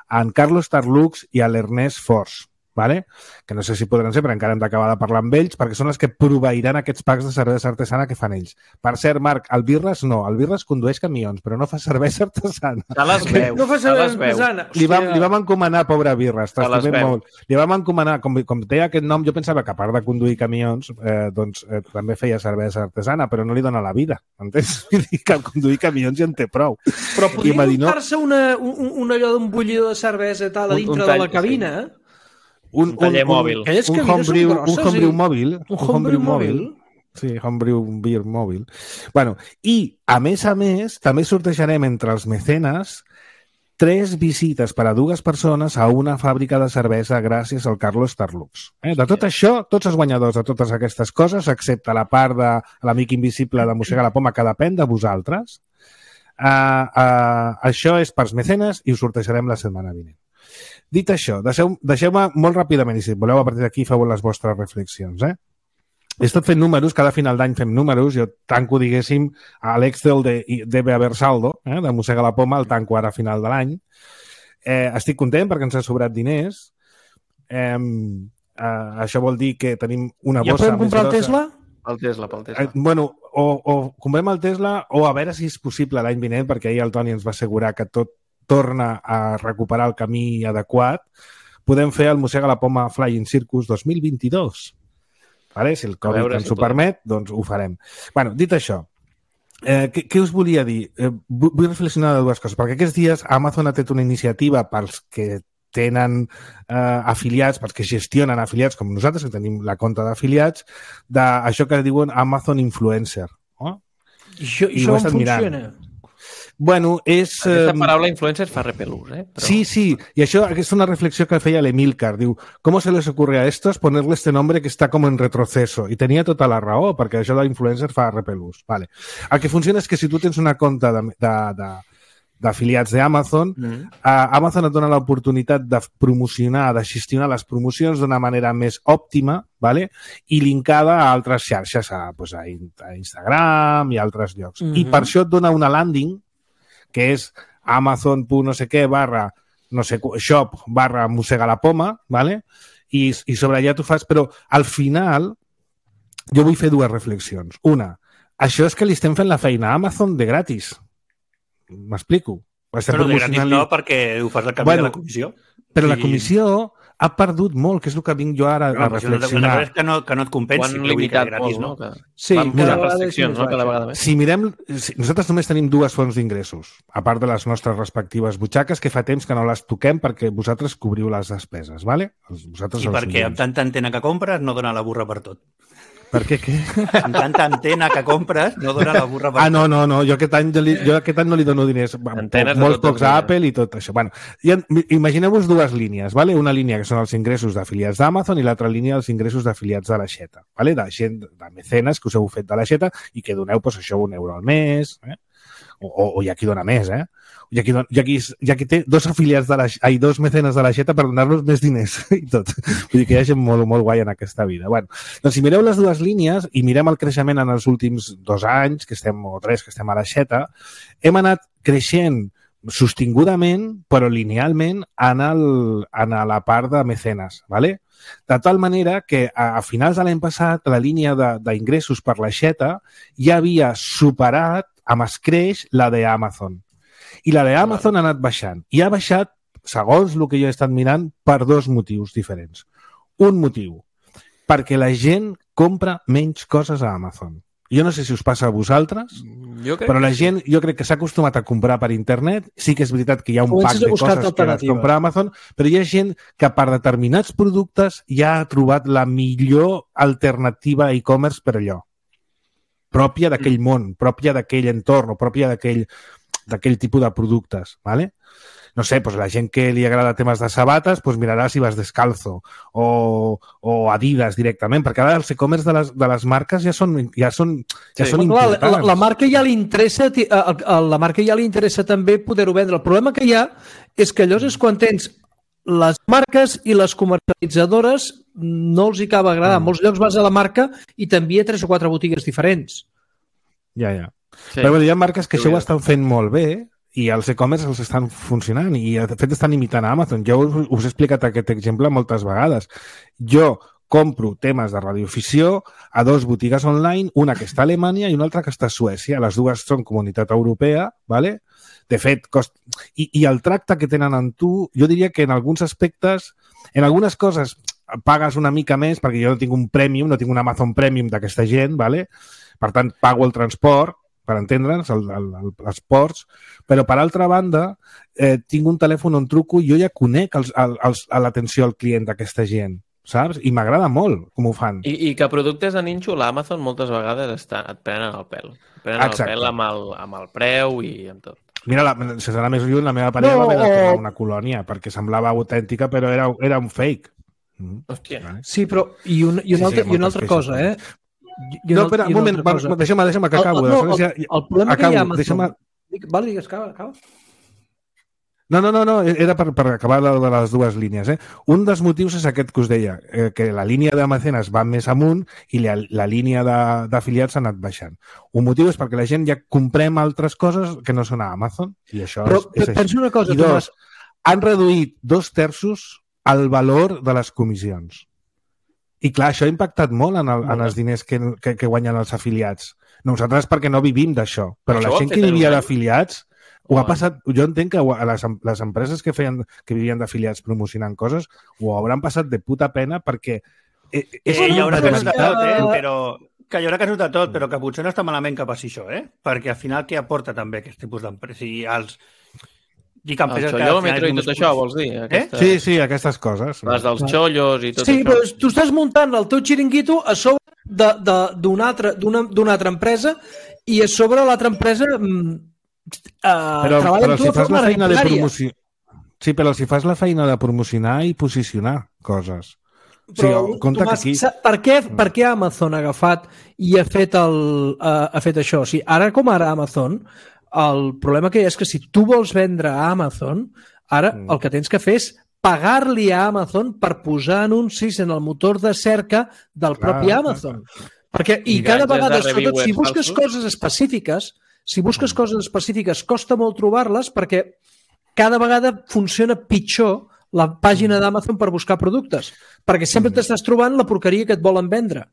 en Carlos Tarlux i a l'Ernest Fors, vale? Que no sé si podran ser, però encara hem d'acabar de parlar amb ells, perquè són els que proveiran aquests packs de cervesa artesana que fan ells. Per cert, Marc, el Birres no. El Birres condueix camions, però no fa cervesa artesana.
Se les veu.
No fa cervesa artesana.
Li vam, li vam encomanar, pobre Birres, t'estimem molt. Li vam encomanar, com, com deia aquest nom, jo pensava que a part de conduir camions, eh, doncs eh, també feia cervesa artesana, però no li dona la vida, entens? Vull dir que conduir camions ja en té prou.
Però podria muntar-se una, un, un allò d'un bullidor de cervesa i tal a dintre un, un tall, de la cabina, eh?
Sí. Un, un taller
un,
mòbil.
Un, un homebrew, grosses, un homebrew mòbil.
Un homebrew mòbil.
Sí, homebrew beer mòbil. Bueno, i, a més a més, també sortejarem entre els mecenes tres visites per a dues persones a una fàbrica de cervesa gràcies al Carlos Tarlux. Eh? De tot això, tots els guanyadors de totes aquestes coses, excepte la part de l'amic invisible de Mossega la Poma, que depèn de vosaltres, uh, uh, això és pels mecenes i ho sortejarem la setmana vinent. Dit això, deixeu, deixeu-me molt ràpidament, i si voleu a partir d'aquí feu les vostres reflexions. Eh? He estat fent números, cada final d'any fem números, jo tanco, diguéssim, a l'Excel de debe haver saldo, eh, de Mossega la Poma, el tanco ara a final de l'any. Eh, estic content perquè ens ha sobrat diners. Eh, eh, això vol dir que tenim una bossa...
Ja podem comprar el Tesla?
El Tesla, pel Tesla.
Eh, bueno, o, o comprem el Tesla o a veure si és possible l'any vinent, perquè ahir el Toni ens va assegurar que tot torna a recuperar el camí adequat, podem fer el Mossega la Poma Flying Circus dos mil vint-i-dos. Vale? Si el Covid ens ho permet, doncs ho farem. Bueno, dit això, eh, què, què us volia dir? Eh, vull reflexionar de dues coses, perquè aquests dies Amazon ha fet una iniciativa pels que tenen eh, afiliats, pels que gestionen afiliats, com nosaltres, que tenim la compte d'afiliats, d'això que diuen Amazon Influencer. Oh?
I això, I això com funciona? Mirant.
Bueno, és...
Aquesta paraula influencer fa repelús, eh? Però...
Sí, sí, y això és una reflexió que feia l'Emilcar. Diu, ¿cómo se les ocurre a estos ponerle este nombre que está como en retroceso? I tenia tota la raó, perquè això de l'influencer fa repelús. Vale. El que funciona és que si tu tens una compte de, de, de, d'afiliats d'Amazon, mm. uh, Amazon et dona l'oportunitat de promocionar, de gestionar les promocions d'una manera més òptima, vale? I linkada a altres xarxes, a, pues, a Instagram i altres llocs. Mm-hmm. I per això et dona una landing que és amazon punt no sé què barra no sé, shop barra Mossega la Poma, ¿vale? i, i sobre allà tu fas... Però al final jo vull fer dues reflexions. Una, això és que li estem fent la feina a Amazon de gratis. M'explico?
Però de gratis no, perquè ho fas al canvi bueno, de la comissió.
Però I... la comissió ha perdut molt, que és el que vinc jo ara no, a reflexionar.
Una cosa és que no, que no et compensi,
que vull que gratis,
molt,
no? Que...
Sí,
cada restriccions, no? Cada vegada més.
Si mirem, si, nosaltres només tenim dues fonts d'ingressos, a part de les nostres respectives butxaques, que fa temps que no les toquem perquè vosaltres cobriu les despeses, ¿vale? Vosaltres
I perquè amb tanta antena que compres no dona la burra per tot.
Per què, què?
Amb tanta antena que compres no dona la burra per tot.
Ah, no, no, no. Jo aquest any, jo, li, jo aquest any no li dono diners.
Antenes
Molts pocs a Apple i tot això. Bueno, imagineu-vos dues línies, ¿vale? Una línia que són els ingressos d'afiliats d'Amazon i l'altra línia els ingressos d'afiliats de la Xeta, ¿vale? De gent, de mecenes que us heu fet de la Xeta i que doneu, pues, això, un euro al mes, eh? O, o, o hi ha qui dona més, eh? Hi ha qui, don, hi ha qui, hi ha qui té dos afiliats de la... Ai, dos mecenes de la Xeta per donar-los més diners i tot. Vull dir que hi ha gent molt, molt guai en aquesta vida. Bueno, doncs si mireu les dues línies i mirem el creixement en els últims dos anys, que estem, o tres que estem a la Xeta, hem anat creixent sostingudament, però linealment, en, el, en la part de mecenes, ¿vale? De tal manera que a, a finals de l'any passat la línia d'ingressos per la Xeta ja havia superat amb escreix la d'Amazon. I la d'Amazon ha anat baixant. I ha baixat, segons el que jo he estat mirant, per dos motius diferents. Un motiu, perquè la gent compra menys coses a Amazon. Jo no sé si us passa a vosaltres, però la gent, jo crec que s'ha acostumat a comprar per internet. Sí que és veritat que hi ha un pack de coses que les compra a Amazon, però hi ha gent que per determinats productes ja ha trobat la millor alternativa a e-commerce per allò. Pròpia d'aquell món, pròpia d'aquell entorn, o pròpia d'aquell d'aquell tipus de productes, ¿vale? No sé, pues la gent que li agrada temes de sabates, pues mirarà si vas descalzo o, o Adidas directament, perquè ara els e-commerce de, les, de les marques ja són, ja són, ja sí, són importants.
La, la, marca ja li interessa, la marca ja li interessa també poder-ho vendre. El problema que hi ha és que allò és quan tens les marques i les comercialitzadores no els hi acaba agradar. En molts llocs vas a la marca i t'envia tres o quatre botigues diferents.
Ja, ja. Sí. Però hi ha marques que sí, això ho estan fent molt bé i els e-commerce els estan funcionant i de fet estan imitant a Amazon. Jo us, us he explicat aquest exemple moltes vegades. Jo compro temes de radioafició a dos botigues online, una que està a Alemanya i una altra que està a Suècia. Les dues són comunitat europea, ¿vale? De fet, cost... I, i el tracte que tenen amb tu, jo diria que en alguns aspectes, en algunes coses pagues una mica més perquè jo no tinc un premium, no tinc un Amazon Premium d'aquesta gent, ¿vale? Per tant, pago el transport, per entendre'ns, el, el, el, els ports, però per altra banda eh, tinc un telèfon on truco i jo ja conec els, els, a l'atenció al client d'aquesta gent, saps? I m'agrada molt com ho fan.
I, i que productes de ninxo, l'Amazon moltes vegades està, et prenen el pèl. Et prenen Exacte. el pèl amb el, amb el preu i amb tot.
Mira, la, si serà més lluny, la meva parella no, va haver de tornar una colònia perquè semblava autèntica, però era, era un fake.
Mm. Hòstia.
Vale? Sí, però i, un, i, una, sí, sí, i una altra cosa, eh?
I no, espera, un moment, deixa'm, deixa'm que acabo.
El, no, el, el, el problema acabo, que hi ha Amazon...
Deixa'm...
Vale, digues, acaba, acaba.
No, no, no, no, era per, per acabar de les dues línies. Eh? Un dels motius és aquest que us deia, eh, que la línia de mecenes va més amunt i la, la línia d'afiliats ha anat baixant. Un motiu és perquè la gent ja comprem altres coses que no són a Amazon i això
Però,
és, és
pensa una cosa,
I dos, Tomàs... han reduït dos terços el valor de les comissions. I clar, això ha impactat molt en, el, en els diners que, que, que guanyen els afiliats. Nosaltres perquè no vivim d'això, però això la gent que vivia d'afiliats ho ha passat, jo entenc que les, les empreses que feien que vivien d'afiliats promocionant coses ho hauran passat de puta pena perquè
és eh, hi haurà que notar tot, eh? però que hi haurà que notar tot, però que potser no està malament que passi això, eh? Perquè al final què aporta també aquest tipus d'empreses? Si els
Dic el xolòmetre i tot això, vols dir?
Aquesta... Eh? Sí, sí, aquestes coses.
Les dels xollos i tot
sí,
això. Sí,
però tu estàs muntant el teu xiringuito a sobre d'una altra, altra empresa i a sobre l'altra empresa eh,
però,
treballa
però
amb tu
si
de
fas
forma
la feina de
arbitrària.
promoció... Sí, però si fas la feina de promocionar i posicionar coses.
Però,
sí, compte
Tomàs,
que aquí...
per, què, per què Amazon ha agafat i ha fet, el, uh, ha fet això? O sigui, ara com ara Amazon... El problema que hi ha és que si tu vols vendre a Amazon, ara mm. el que tens que fer és pagar-li a Amazon per posar anuncis en el motor de cerca del clar, propi Amazon. Clar, clar. Perquè, I, I cada vegada, sobretot, si busques falsos. coses específiques, si busques mm. coses específiques, costa molt trobar-les perquè cada vegada funciona pitjor la pàgina d'Amazon per buscar productes, perquè sempre t'estàs trobant la porqueria que et volen vendre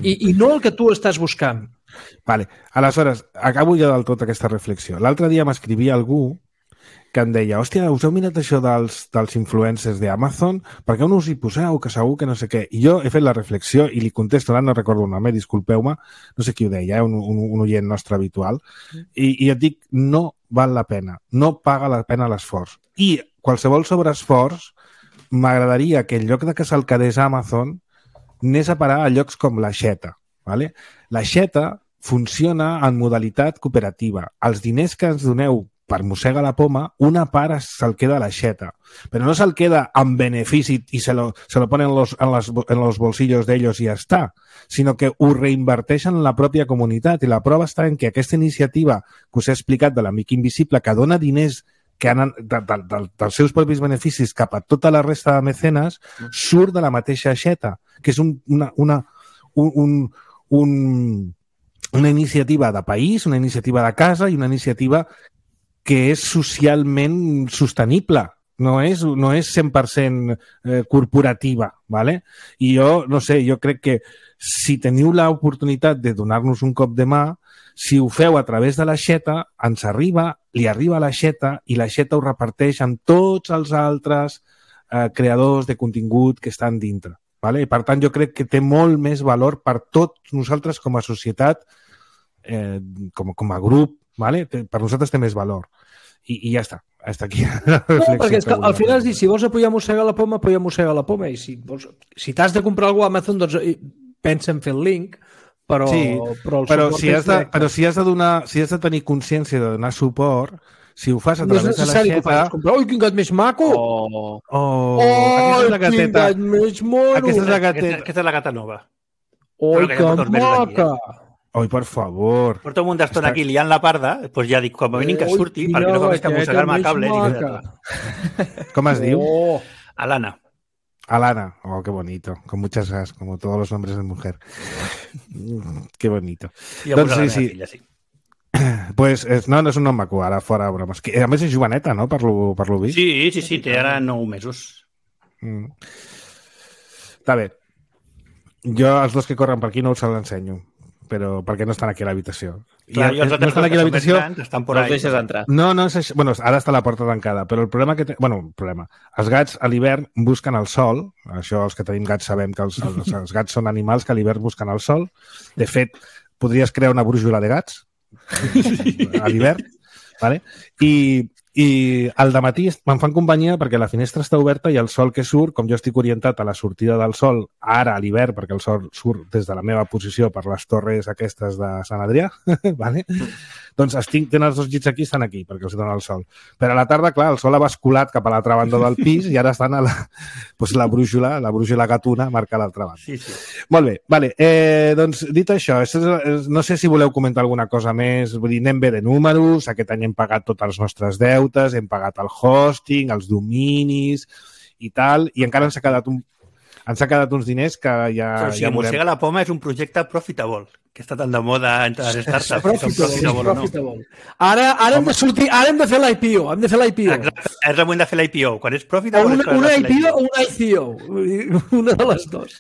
i, i no el que tu estàs buscant.
Vale. Aleshores, acabo ja del tot aquesta reflexió. L'altre dia m'escrivia algú que em deia, hòstia, us heu mirat això dels, dels influencers d'Amazon? Per què no us hi poseu? Que segur que no sé què. I jo he fet la reflexió i li contesto, ara no recordo el nom, eh? Disculpeu-me, no sé qui ho deia, eh? un, un, un oient nostre habitual, i, i et dic, no val la pena, no paga la pena l'esforç. I qualsevol sobreesforç m'agradaria que en lloc de que se'l quedés a Amazon anés a parar a llocs com l'Aixeta. ¿Vale? L'Aixeta funciona en modalitat cooperativa. Els diners que ens doneu per Mossega la Poma, una part se'l queda a l'Aixeta. Però no se'l queda amb benefici i se lo, se lo ponen en los, en, les, en los bolsillos d'ells i ja està, sinó que ho reinverteixen en la pròpia comunitat. I la prova està en que aquesta iniciativa que us he explicat de l'Amic Invisible, que dona diners que han, de, de, de, dels seus propis beneficis cap a tota la resta de mecenes, surt de la mateixa Aixeta, que és un, una, una, un, un, un, una iniciativa de país, una iniciativa de casa i una iniciativa que és socialment sostenible, no és, no és cent per cent eh, corporativa, ¿vale? I jo, no sé, jo crec que si teniu l'oportunitat de donar-nos un cop de mà, si ho feu a través de l'Aixeta, ens arriba, li arriba a l'Aixeta i l'Aixeta ho reparteix amb tots els altres eh, creadors de contingut que estan dintre, ¿vale? I per tant jo crec que té molt més valor per tots nosaltres com a societat, eh, com, com a grup, ¿vale? Per nosaltres té més valor. I, i ja està. Hasta aquí.
No, perquè és que al final és dir, si vols apoyar Mossega la Poma, apoya Mossega la Poma. I si, vols, si t'has de comprar alguna cosa a Amazon, doncs pensa en fer el link, però...
Sí,
però, el
però, si has de, però si has de donar, si has de tenir consciència de donar suport, si ho fas a través
no
de l'Aixeta...
Comprar... Ui, quin gat més maco!
Oh,
oh,
oh
aquesta és la gateta.
Quin gat més mono!
Aquesta és la gateta.
Aquesta, aquesta és la gata nova.
Ui, que, que maca!
Oi, per favor.
Porto un munt d'estona aquí liant la parda, doncs ja dic, com a mínim que surti, perquè no comença a mossegar-me a cable.
Com es diu?
Oh.
Alana.
Alana. Oh, qué bonito. Con muchas gas, como todos los nombres de mujer. Qué bonito.
I doncs sí, sí. Filla, sí.
Pues no, no és un nom maco, ara fora bromes. A més és joveneta, no? Per lo, per lo vist.
Sí, sí, sí, té ara nou mesos.
Mm. Està bé. Jo, els dos que corren per aquí, no us l'ensenyo, però perquè no estan aquí a l'habitació.
Clar, I, els no estan aquí a l'habitació, estan por
ahí. No deixes entrar.
No, no, és, bueno, ara està la porta tancada, però el problema que té, bueno, el problema, els gats a l'hivern busquen el sol, això els que tenim gats sabem que els, els, els gats són animals que a l'hivern busquen el sol. De fet, podries crear una brújula de gats a l'hivern, ¿vale? I, i al dematí me'n fan companyia perquè la finestra està oberta i el sol que surt, com jo estic orientat a la sortida del sol ara a l'hivern, perquè el sol surt des de la meva posició per les torres aquestes de Sant Adrià, ¿vale? Doncs estic, tenen els dos llits aquí, estan aquí, perquè els dona el sol. Però a la tarda, clar, el sol ha basculat cap a l'altra banda del pis i ara estan a la, doncs la brújula, la brújula gatuna marca a l'altra banda.
Sí, sí.
Molt bé, vale. Eh, doncs dit això, no sé si voleu comentar alguna cosa més, vull dir, anem bé de números, aquest any hem pagat tots els nostres deutes, hem pagat el hosting, els dominis i tal, i encara ens ha quedat un ens ha quedat uns diners que ja...
Però si
ja
Mossega la Poma és un projecte profitable, que està tan de moda entre les startups.
Profitable, profitable, profitable. Ara, ara, hem de sortir, ara hem de fer l'I P O, hem de fer l'I P O.
Exacte, és el moment de fer l'I P O. Quan és profitable...
Una, una I P O o una I C O, una de les dues.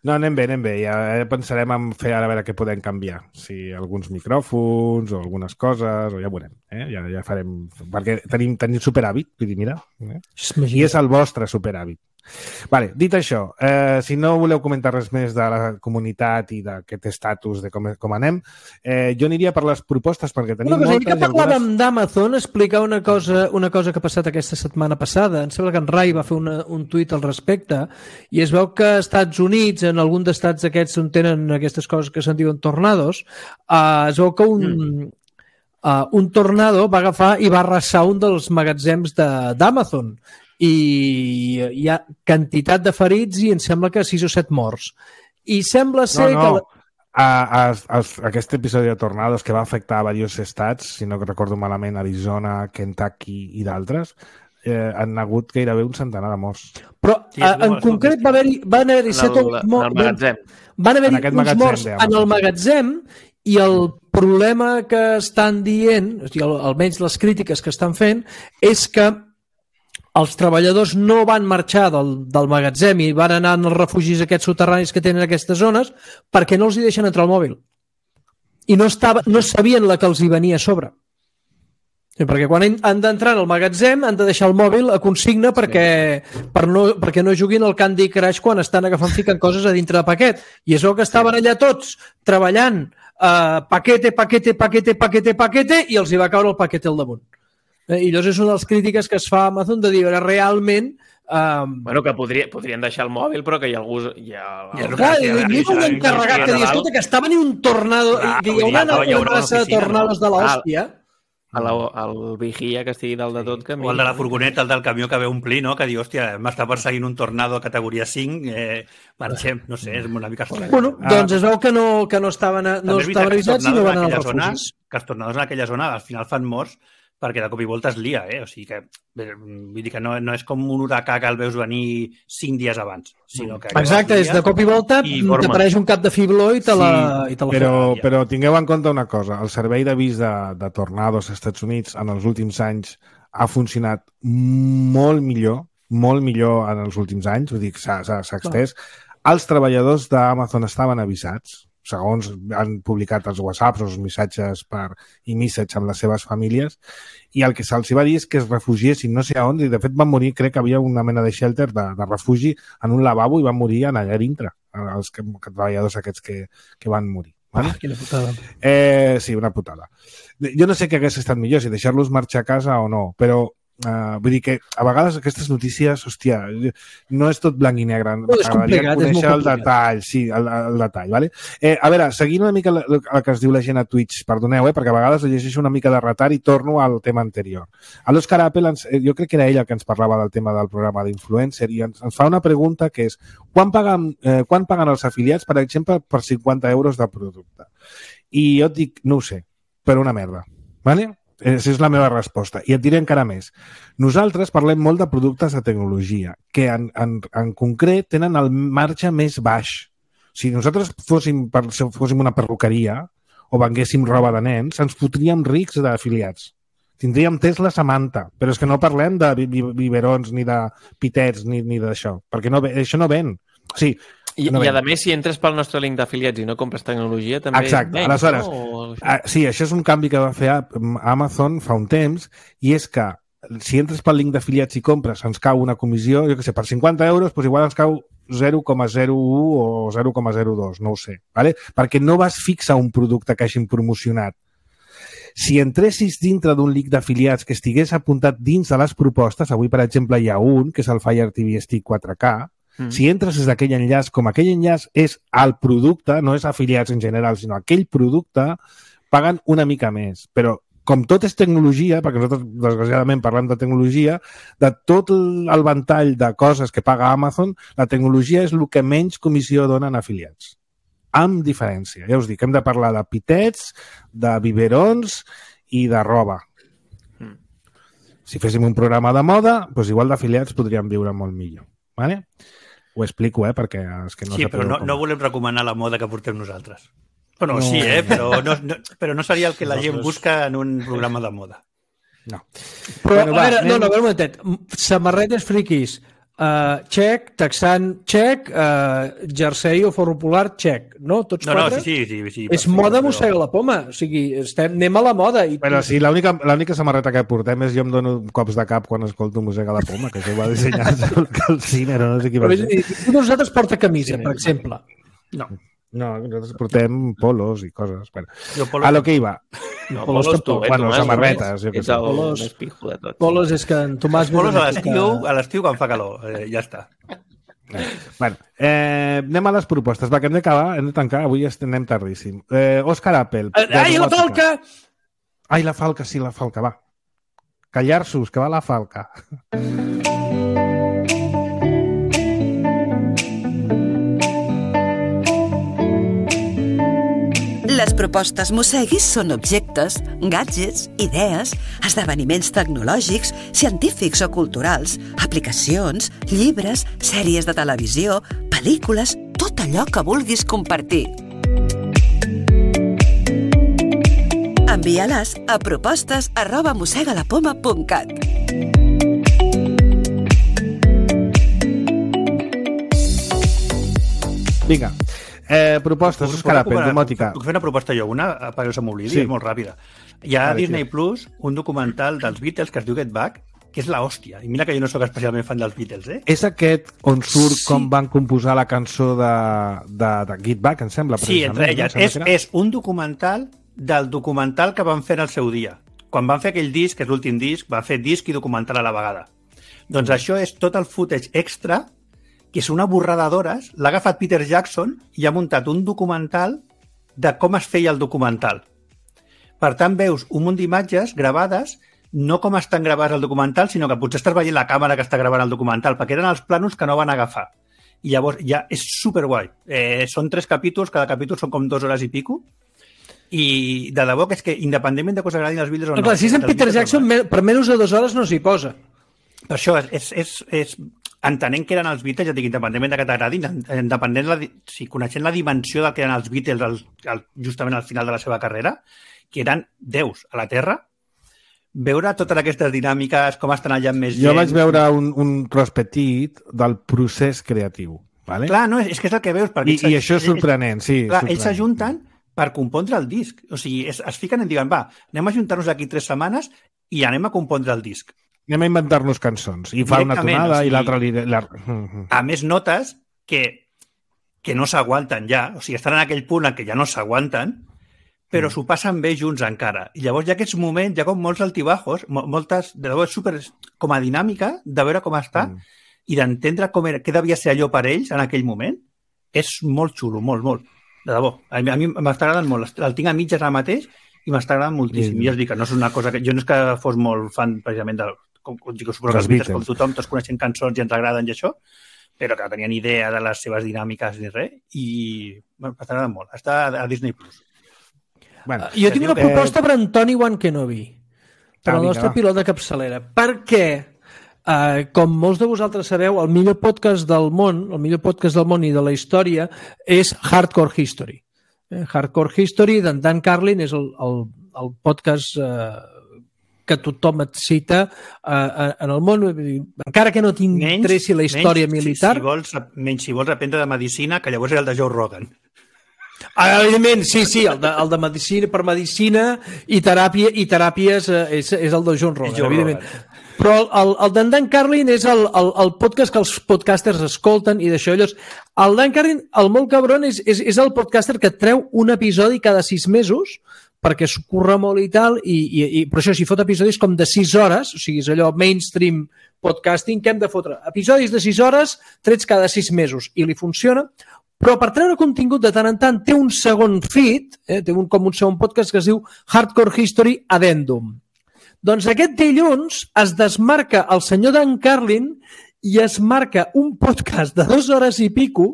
No, anem bé, anem bé. Ja pensarem en fer ara a veure què podem canviar. Si alguns micròfons o algunes coses, o ja veurem. Eh? Ja, ja farem... Perquè tenim, tenim superàvit, vull dir, mira. Eh? I és el vostre superàvit. Vale, dit això, eh, si no voleu comentar res més de la comunitat i d'aquest estatus de com, com anem, eh, jo aniria per les propostes perquè tenim
una cosa,
moltes...
Que parlàvem algunes... d'Amazon, explicar una cosa, una cosa que ha passat aquesta setmana passada. Em sembla que en Rai va fer una, un tuit al respecte i es veu que als Estats Units, en algun d'estats aquests on tenen aquestes coses que se'n diuen tornados, eh, es veu que un... Mm. Uh, un tornado va agafar i va arrasar un dels magatzems d'Amazon i hi ha quantitat de ferits i em sembla que sis o set morts. I sembla ser
no, no.
que...
A, a, a, aquest episodi de tornados que va afectar a diversos estats, si no recordo malament, Arizona, Kentucky i d'altres, eh, han hagut gairebé un centenar de morts.
Però sí, a, en concret va haver-hi va haver set o vuit morts. Van haver-hi uns morts en el magatzem i el problema que estan dient, o sigui, almenys les crítiques que estan fent, és que els treballadors no van marxar del, del magatzem i van anar als refugis aquests soterranis que tenen aquestes zones perquè no els hi deixen entrar el mòbil. I no, estava, no sabien la que els hi venia a sobre. Sí, perquè quan han d'entrar al magatzem han de deixar el mòbil a consigna perquè, sí. per no, perquè no juguin al Candy Crush quan estan agafant ficant coses a dintre de paquet. I és el que estaven allà tots treballant uh, paquete, paquete, paquete, paquete, paquete i els hi va caure el paquete al damunt. Eh, I llavors és una de les crítiques que es fa a Amazon de dir realment Um...
Bueno, que podria, podrien deixar el mòbil, però que hi ha algú... Hi ha...
Ja, clar, hi ha un encarregat que diu, escolta, que estava ni un tornado, clar, que hi haurà una, una raça de tornados no? de l'hòstia.
El, el vigia que estigui dalt de tot. Que
o el de la furgoneta, el del camió que ve a omplir, no? Que diu, hòstia, m'està perseguint un tornado a categoria cinc, eh, marxem, no sé, és una mica estrany.
Bueno, doncs es veu que no, que no estaven, no estaven avisats i no van anar als refugis.
Que els tornados en aquella zona al final fan morts perquè de cop i volta es lia, eh? O sigui que, vull dir que no, no és com un huracà que el veus venir cinc dies abans, sinó que...
Exacte, és de cop i volta t'apareix un cap de fibló i te la, sí, i te la
però, però tingueu en compte una cosa, el servei d'avís de, de tornados als Estats Units en els últims anys ha funcionat molt millor, molt millor en els últims anys, vull dir que s'ha extès. Els treballadors d'Amazon estaven avisats, segons han publicat els whatsapps o els missatges per e-message amb les seves famílies, i el que se'ls va dir és que es refugiessin no sé a on, i de fet van morir, crec que havia una mena de shelter de, de refugi en un lavabo i van morir allà dintre, els que, que, treballadors aquests que, que van morir. Vale?
Ah, quina putada.
Eh, sí, una putada. Jo no sé què hagués estat millor, si deixar-los marxar a casa o no, però Uh, vull dir que a vegades aquestes notícies, hòstia, no és tot blanc i negre.
No, és complicat, és molt
el detall, sí, el, el detall, vale? Eh, a veure, seguint una mica el, el que es diu la gent a Twitch, perdoneu, eh, perquè a vegades llegeixo una mica de retard i torno al tema anterior. A l'Òscar Apple, ens, jo crec que era ell el que ens parlava del tema del programa d'influencer i ens, ens fa una pregunta que és quan paguen, eh, quan paguen els afiliats, per exemple, per cinquanta euros de producte? I jo et dic, no ho sé, per una merda, vale? Aquesta és la meva resposta. I et diré encara més. Nosaltres parlem molt de productes de tecnologia, que en, en, en concret tenen el marge més baix. Si nosaltres fóssim, fóssim una perruqueria o venguéssim roba de nens, ens fotríem rics d'afiliats. Tindríem Tesla Samantha, però és que no parlem de biberons, ni de pitets, ni, ni d'això, perquè no, això no ven. O sigui,
I,
no
i a més, si entres pel nostre link d'afiliats i no compres tecnologia, també...
Exacte, menys, aleshores, no? uh, sí, això és un canvi que va fer Amazon fa un temps, i és que si entres pel link d'afiliats i compres, ens cau una comissió, jo què sé, per cinquanta euros, doncs igual ens cau zero coma zero u o zero coma zero dos, no ho sé, ¿vale? Perquè no vas fixar un producte que hagin promocionat. Si entressis dintre d'un link d'afiliats que estigués apuntat dins de les propostes, avui, per exemple, hi ha un, que és el Fire T V Stick quatre K, mm. si entres des d'aquell enllaç, com aquell enllaç és el producte, no és afiliats en general, sinó aquell producte, paguen una mica més. Però, com tot és tecnologia, perquè nosaltres, desgraciadament, parlem de tecnologia, de tot el ventall de coses que paga Amazon, la tecnologia és el que menys comissió donen afiliats. Amb diferència. Ja us dic, hem de parlar de pitets, de biberons i de roba. Mm. Si féssim un programa de moda, doncs igual d'afiliats podríem viure molt millor. Vale? Ho explico, eh, perquè és que no
sí, però no, no volem recomanar la moda que portem nosaltres. Bueno, no. Sí, eh, però no, no, però no seria el que la gent busca en un programa de moda.
No.
Però, bueno, va, a veure, anem... no, no, a veure un momentet. Samarretes friquis, uh, xec, texan, xec, uh, jersei o forro polar, xec, no? Tots
no,
quatre?
No, sí, sí, sí, sí.
És moda mossega la poma, o sigui, estem, anem a la moda. I...
Però sí, l'única samarreta que portem és jo em dono cops de cap quan escolto mossega la poma, que això va dissenyar el cine, no sé qui va ser.
Però nosaltres porta camisa, sí, per exemple.
No. No, nosaltres portem polos i coses. Bueno, polos... A lo que iba.
No, polos, polos tu, eh,
bueno,
Tomàs,
samarretes.
Ets el polos... més pijo de tot.
Polos és que en Tomàs...
Polos a l'estiu, a l'estiu quan fa calor. Eh, ja està.
Bueno, eh, anem a les propostes. Va, que hem d'acabar, hem de tancar. Avui anem tardíssim. Eh, Òscar Apple.
Ai, la falca!
Ai, la falca, sí, la falca, va. Callar-sos, que va la falca.
Les propostes Mosseguis són objectes, gadgets, idees, esdeveniments tecnològics, científics o culturals, aplicacions, llibres, sèries de televisió, pel·lícules, tot allò que vulguis compartir. Envia-les a propostes arroba mossegalapoma punt cat.
Vinga. Eh, propostes, Òscar Apple, domòtica.
Puc fer una proposta jo, una, perquè no se m'oblidi,
sí.
És molt ràpida. Hi ha a Disney Plus un documental dels Beatles que es diu Get Back, que és l'hòstia. I mira que jo no sóc especialment fan dels Beatles, eh?
És aquest on surt
sí.
com van composar la cançó de, de, de Get Back, em sembla.
Sí, entre elles. No? És, és un documental del documental que van fer en el seu dia. Quan van fer aquell disc, que és l'últim disc, va fer disc i documental a la vegada. Doncs això és tot el footage extra, que és una borrada d'hores, l'ha agafat Peter Jackson i ha muntat un documental de com es feia el documental. Per tant, veus un munt d'imatges gravades, no com estan gravades al documental, sinó que potser estàs veient la càmera que està gravant el documental, perquè eren els plànols que no van agafar. I llavors ja és superguai. Eh, són tres capítols, cada capítol són com dues hores i pico, i de debò que és que, independentment de que us agradin els Beatles o no...
Clar, si és en Peter Jackson, per menys de dues hores no s'hi posa.
Per això, és, és, és, entenent que eren els Beatles, ja dic, independentment de que t'agradin, independent, la, si coneixent la dimensió del que eren els Beatles el, el, justament al final de la seva carrera, que eren déus a la Terra, veure totes aquestes dinàmiques, com estan allà amb més gent...
Jo vaig veure un, un tros petit del procés creatiu. Vale?
Clar, no, és, és que és el que veus.
I, i això és sorprenent, sí.
Clar,
sorprenent.
Ells s'ajunten per compondre el disc. O sigui, es, es fiquen i diuen, va, anem a ajuntar-nos aquí tres setmanes i anem a compondre el disc.
Anem a inventar-nos cançons. I fa una tonada o sigui, i l'altra... Li... La...
A més, notes que, que no s'aguanten ja. O sigui, estan en aquell punt en què ja no s'aguanten, però mm. s'ho passen bé junts encara. I llavors hi ha aquests moments, hi ha com molts altibajos, moltes... De debò és super com a dinàmica de veure com està mm. i d'entendre com era, què devia ser allò per ells en aquell moment. És molt xulo, molt, molt. De debò. A mi, a mi m'està agradant molt. El tinc a mitges ara mateix i m'està agradant moltíssim. Mm. I ja us dic que no és una cosa que... Jo no és que fos molt fan precisament del... Com, com, com, suposo que els Beatles, com tothom, tots coneixen cançons i ens agraden i això, però que no tenien idea de les seves dinàmiques ni res, i bueno, m'agrada molt. Està a Disney Plus.
Bueno, jo tinc una proposta eh... per Antoni Wankenobi, per al nostre pilot de capçalera, perquè, eh, com molts de vosaltres sabeu, el millor podcast del món, el millor podcast del món i de la història és Hardcore History. Eh, Hardcore History d'en Dan Carlin és el, el, el podcast... Eh, que tothom et cita uh, en el món, encara que no t'interessi la història menys, militar.
Si, si vols, menys si vols aprendre de medicina, que llavors és el de Joe Rogan.
Ah, evidentment, sí, sí, el de, el de medicina per medicina i, teràpia, i teràpies uh, és, és el de John Rogan, Joe evidentment. Rogan. Però el, el, el d'en Dan Carlin és el, el, el podcast que els podcasters escolten i d'això. Llavors, el Dan Carlin, el molt cabron, és, és, és el podcaster que treu un episodi cada sis mesos perquè s'ho curra molt i tal, i, i, i per això si fot episodis com de sis hores, o sigui, és allò mainstream podcasting, que hem de fotre episodis de sis hores trets cada sis mesos, i li funciona, però per treure contingut de tant en tant té un segon feed, eh, té un, com un segon podcast que es diu Hardcore History Addendum. Doncs aquest dilluns es desmarca el senyor Dan Carlin i es marca un podcast de dues hores i pico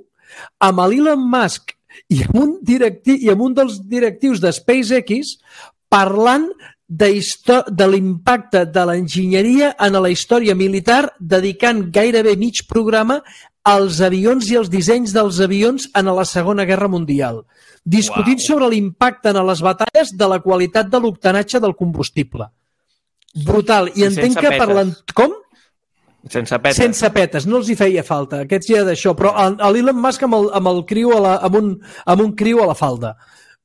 amb l'Elon Musk i amb un, directiu, i amb un dels directius de SpaceX parlant de, de l'impacte de l'enginyeria en la història militar, dedicant gairebé mig programa als avions i als dissenys dels avions en la Segona Guerra Mundial, discutint wow. sobre l'impacte en les batalles de la qualitat de l'octanatge del combustible. Brutal. I, I entenc que parlant... Com?
Sense petes.
Sense petes, no els hi feia falta. Aquests ja d'això, però l'Elon Musk amb el, amb el criu a la, amb, un, amb un criu a la falda.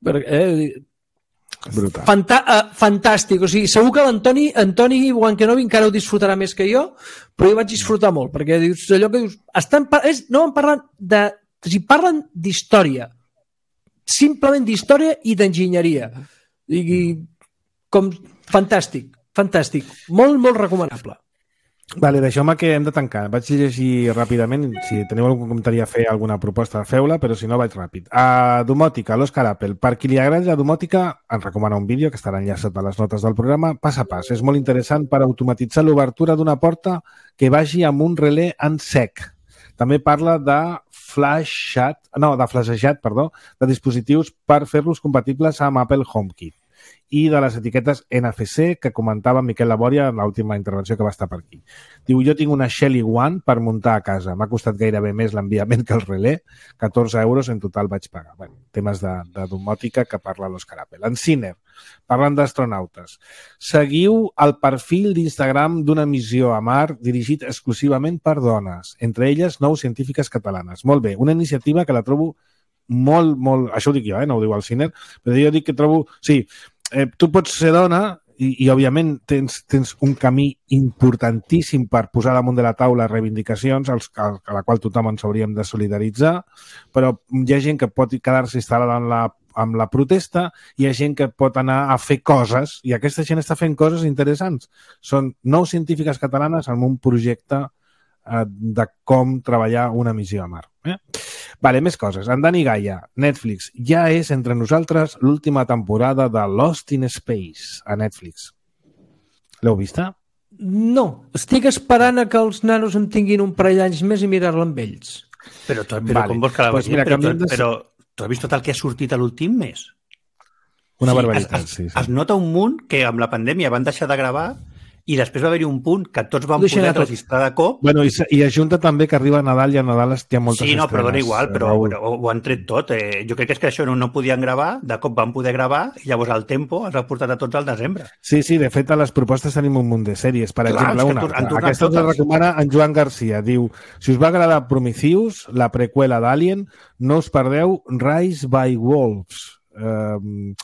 Eh,
Brutal.
Fanta, uh, fantàstic. O sigui, segur que l'Antoni Antoni Wankenobi encara ho disfrutarà més que jo, però jo vaig disfrutar molt, perquè dius, allò que dius... Estan, és, no en parlen de... O sigui, parlen d'història. Simplement d'història i d'enginyeria. I, com... Fantàstic. Fantàstic. Molt, molt recomanable.
Vale, deixeu-me que hem de tancar. Vaig llegir ràpidament. Si teniu algun comentari a fer, alguna proposta, feu-la, però si no, vaig ràpid. A domòtica, l'Òscar Apple. Per qui li agradi la domòtica, ens recomana un vídeo que estarà enllaçat a les notes del programa, pas a pas. És molt interessant per automatitzar l'obertura d'una porta que vagi amb un relé en sec. També parla de flashat, no, de flashejat, perdó, de dispositius per fer-los compatibles amb Apple HomeKit i de les etiquetes N F C que comentava Miquel Labòria en l'última intervenció que va estar per aquí. Diu, jo tinc una Shelly One per muntar a casa. M'ha costat gairebé més l'enviament que el relé. catorze euros en total vaig pagar. Bueno, temes de, de domòtica que parla l'Òscar Apple. En Ciner, Parlant d'astronautes. Seguiu el perfil d'Instagram d'una missió a Mart dirigit exclusivament per dones, entre elles nou científiques catalanes. Molt bé, una iniciativa que la trobo molt, molt... Això ho dic jo, eh? No ho diu el Ciner, però jo dic que trobo... Sí, eh, tu pots ser dona i, i òbviament, tens, tens un camí importantíssim per posar damunt de la taula reivindicacions als, a, a la qual tothom ens hauríem de solidaritzar, però hi ha gent que pot quedar-se instal·lada en la amb la protesta, hi ha gent que pot anar a fer coses, i aquesta gent està fent coses interessants. Són nou científiques catalanes amb un projecte eh, de com treballar una missió a Mart. Eh? Vale, més coses. En Dani Gaia, Netflix, ja és entre nosaltres l'última temporada de Lost in Space a Netflix. L'heu vista?
No. Estic esperant a que els nanos en tinguin un parell d'anys més i mirar-la amb ells.
Però, però vale. Com vols que la
pues
vegin?
mira,
però, però, però tu has vist tot el que ha sortit a l'últim mes?
Una
sí,
barbaritat,
es,
sí, sí.
Es nota un munt que amb la pandèmia van deixar de gravar i després va haver-hi un punt que tots van poder registrar de cop.
Bueno, i, i ajunta també que arriba Nadal i a Nadal hi ha moltes
sí, no,
estrenes.
però dona igual, però ho, ho han tret tot. Eh, jo crec que és que això no, no podien gravar, de cop van poder gravar i llavors el tempo els ha portat a tots al desembre.
Sí, sí, de fet a les propostes tenim un munt de sèries. Per
Clar,
exemple, una. Aquesta ens la recomana en Joan Garcia. Diu, si us va agradar Prometheus, la preqüela d'Alien, no us perdeu Rise by Wolves. Eh,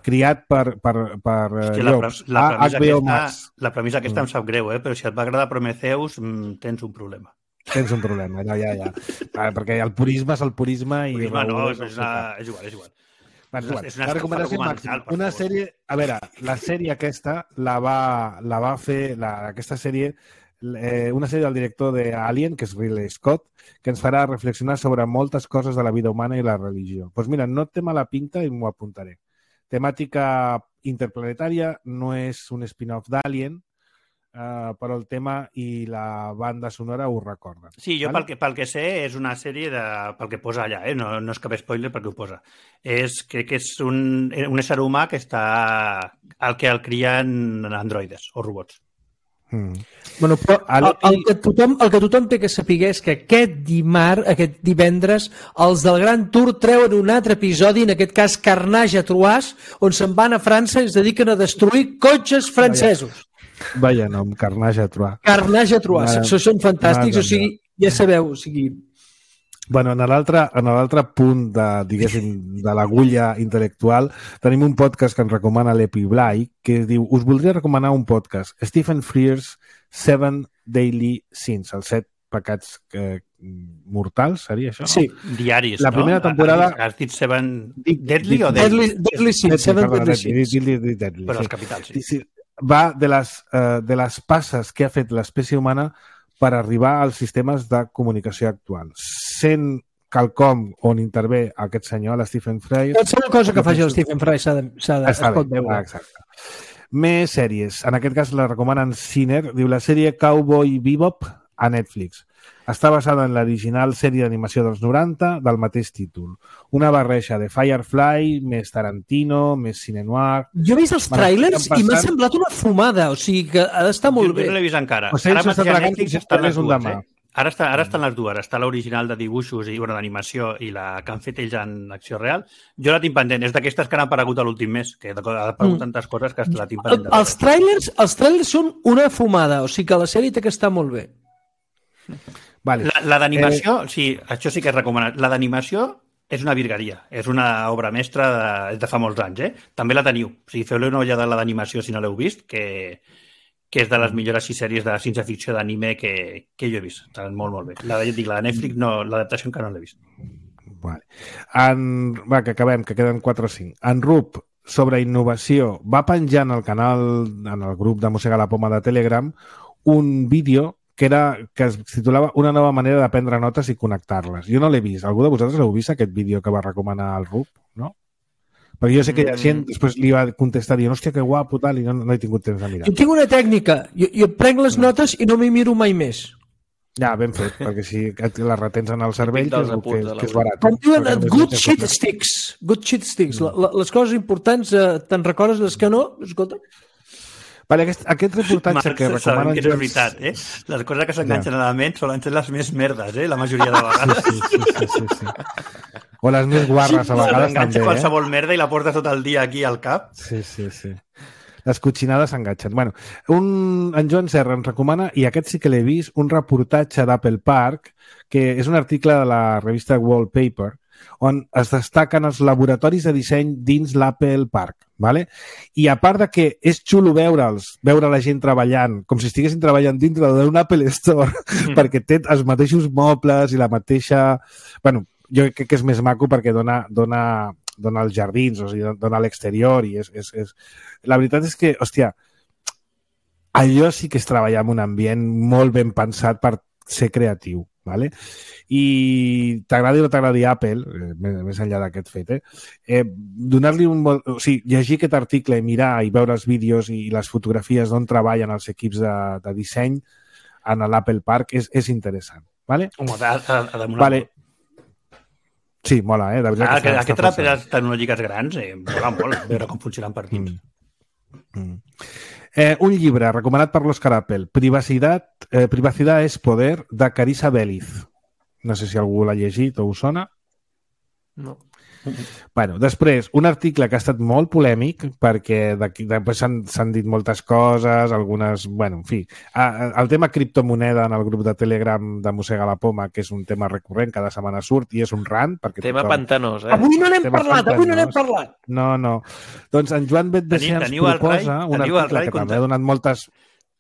criat per, per, per
Hòstia,
llops.
La, la,
H B O Max.
La premissa aquesta mm. em sap greu, eh? Però si et va agradar Prometheus, mm, tens un problema.
Tens un problema, no, ja, ja. Ah, perquè el purisme és el purisme i...
Purisme no, és, és, una... és igual, és igual.
Bueno, és, és
una
la recomanació màxima. Una sèrie... A veure, la sèrie aquesta la va, la va fer... La, aquesta sèrie... Eh, una sèrie del director de Alien, que és Ridley Scott, que ens farà reflexionar sobre moltes coses de la vida humana i la religió. Doncs pues mira, no té mala pinta i m'ho apuntaré. Temàtica interplanetària, no és un spin-off d'Alien, uh, però el tema i la banda sonora ho recorden.
Sí, jo vale? pel, que, pel que sé és una sèrie de, pel que posa allà, eh? no, no és cap spoiler perquè ho posa. És, crec que és un, un ésser humà que està el que el crien androides o robots.
Mm. Bueno, però el, el, que tothom, el que tothom té que saber és que aquest dimarts, aquest divendres, els del Gran Tour treuen un altre episodi, en aquest cas Carnage a Troyes, on se'n van a França i es dediquen a destruir cotxes francesos.
Vaya nom, Carnage a Troyes.
Carnage a Troyes, això són fantàstics, o sigui, ja sabeu, o sigui...
Bueno, en l'altre punt de, diguéssim, de l'agulla intel·lectual tenim un podcast que ens recomana l'Epi Blai que diu, us voldria recomanar un podcast, Stephen Frears Seven Daily Sins, els set pecats eh, mortals, seria això?
Sí.
Diaris,
la primera
no?
temporada...
Has dit Seven... Deadly o Deadly?
Deadly Sins, Seven Deadly Sins.
Però els capitals, sí.
Va de les, uh, de les passes que ha fet l'espècie humana per arribar als sistemes de comunicació actual. Sent quelcom on intervé aquest senyor, l'Stephen Fry...
Qualsevol cosa que faci el Stephen Fry s'ha de, s'ha de, es pot veure.
Ah, exacte. Més sèries. En aquest cas la recomanen Ciner. Diu la sèrie Cowboy Bebop a Netflix. Està basada en l'original sèrie d'animació dels noranta del mateix títol. Una barreja de Firefly, més Tarantino, més cine noir...
Jo he vist els tràilers i m'ha semblat una fumada, o sigui que ha d'estar molt
jo,
bé.
Jo no l'he vist encara.
O sigui,
ara mateix a Netflix estan les dues,
eh?
Ara, està, ara estan les dues. Està l'original de dibuixos i bueno, d'animació i la que han fet ells en acció real. Jo la tinc pendent. És d'aquestes que han aparegut a l'últim mes, que ha aparegut mm. tantes coses que la tinc pendent.
El, els, trailers, els trailers són una fumada, o sigui que la sèrie té que estar molt bé.
Vale.
La, la d'animació, eh... sí, això sí que és recomanat. La d'animació és una virgueria. És una obra mestra de, de fa molts anys, eh? També la teniu. O sigui, feu-li una ullada a la d'animació si no l'heu vist, que, que és de les millors sis sèries de ciència-ficció d'anime que, que jo he vist. Està molt, molt bé. La de, dic, la de Netflix, no, l'adaptació encara no l'he vist.
Vale. En, va, que acabem, que queden quatre o cinc. En Rup, sobre innovació, va penjar en el canal, en el grup de Mossega la Poma de Telegram, un vídeo que, era, que es titulava Una nova manera de prendre notes i connectar-les. Jo no l'he vist. Algú de vosaltres l'heu vist, aquest vídeo que va recomanar el Rup? No? Perquè jo sé que hi ha gent, després li va contestar dient, hòstia, que guapo, tal, i no, no he tingut temps de mirar.
Jo tinc una tècnica. Jo, jo prenc les no. notes i no m'hi miro mai més.
Ja, ben fet, perquè si les retens en el cervell, que és, que, que és barat.
Com diuen, good shit sticks. Good shit sticks. La, la, les coses importants, eh, te'n recordes les que no? Escolta.
Vale, aquest, aquest reportatge Marc, que recomanen...
Que és veritat, eh? Les coses que s'enganxen ja. a la ment solen ser les més merdes, eh? La majoria de vegades.
Sí, sí, sí, sí, sí. O les més guarres, a vegades, també.
Enganxa qualsevol merda i la portes tot el dia aquí al cap.
Sí, sí, sí. Les cotxinades s'enganxen. Bueno, un, en Joan Serra ens recomana, i aquest sí que l'he vist, un reportatge d'Apple Park, que és un article de la revista Wallpaper, on es destaquen els laboratoris de disseny dins l'Apple Park. Vale? I a part de que és xulo veure'ls, veure la gent treballant, com si estiguessin treballant dintre d'un Apple Store, mm. perquè té els mateixos mobles i la mateixa... Bueno, jo crec que és més maco perquè dona, dona, dona als jardins, o sigui, dona a l'exterior i és, és, és... La veritat és que, hòstia, allò sí que és treballar en un ambient molt ben pensat per ser creatiu, ¿vale? I t'agradi o no t'agradi Apple, eh, més enllà d'aquest fet, eh? eh donar-li un... O sigui, llegir aquest article, mirar i veure els vídeos i les fotografies d'on treballen els equips de, de disseny en l'Apple Park és, és interessant, ¿vale?
Home, ha, ha, ha de molar
vale. Sí, mola, eh? De veritat
ah,
que
que aquestes ràpides tecnològiques grans, eh, mola molt veure com funcionen per dins.
Mm. Mm. Eh, un llibre recomanat per l'Òscar Apple, Privacitat, eh, Privacidad es Poder, de Carissa Vélez. No sé si algú l'ha llegit o us sona.
No.
Bueno, després, un article que ha estat molt polèmic perquè després s'han dit moltes coses, algunes... Bueno, en fi, el tema criptomoneda en el grup de Telegram de Mossega la Poma, que és un tema recurrent, cada setmana surt i és un rant. Perquè
tema tothom... pantanós, eh?
Avui no n'hem parlat, pantanós. avui no n'hem parlat.
No, no. Doncs en Joan Betdesí ens proposa un article que també ha donat moltes...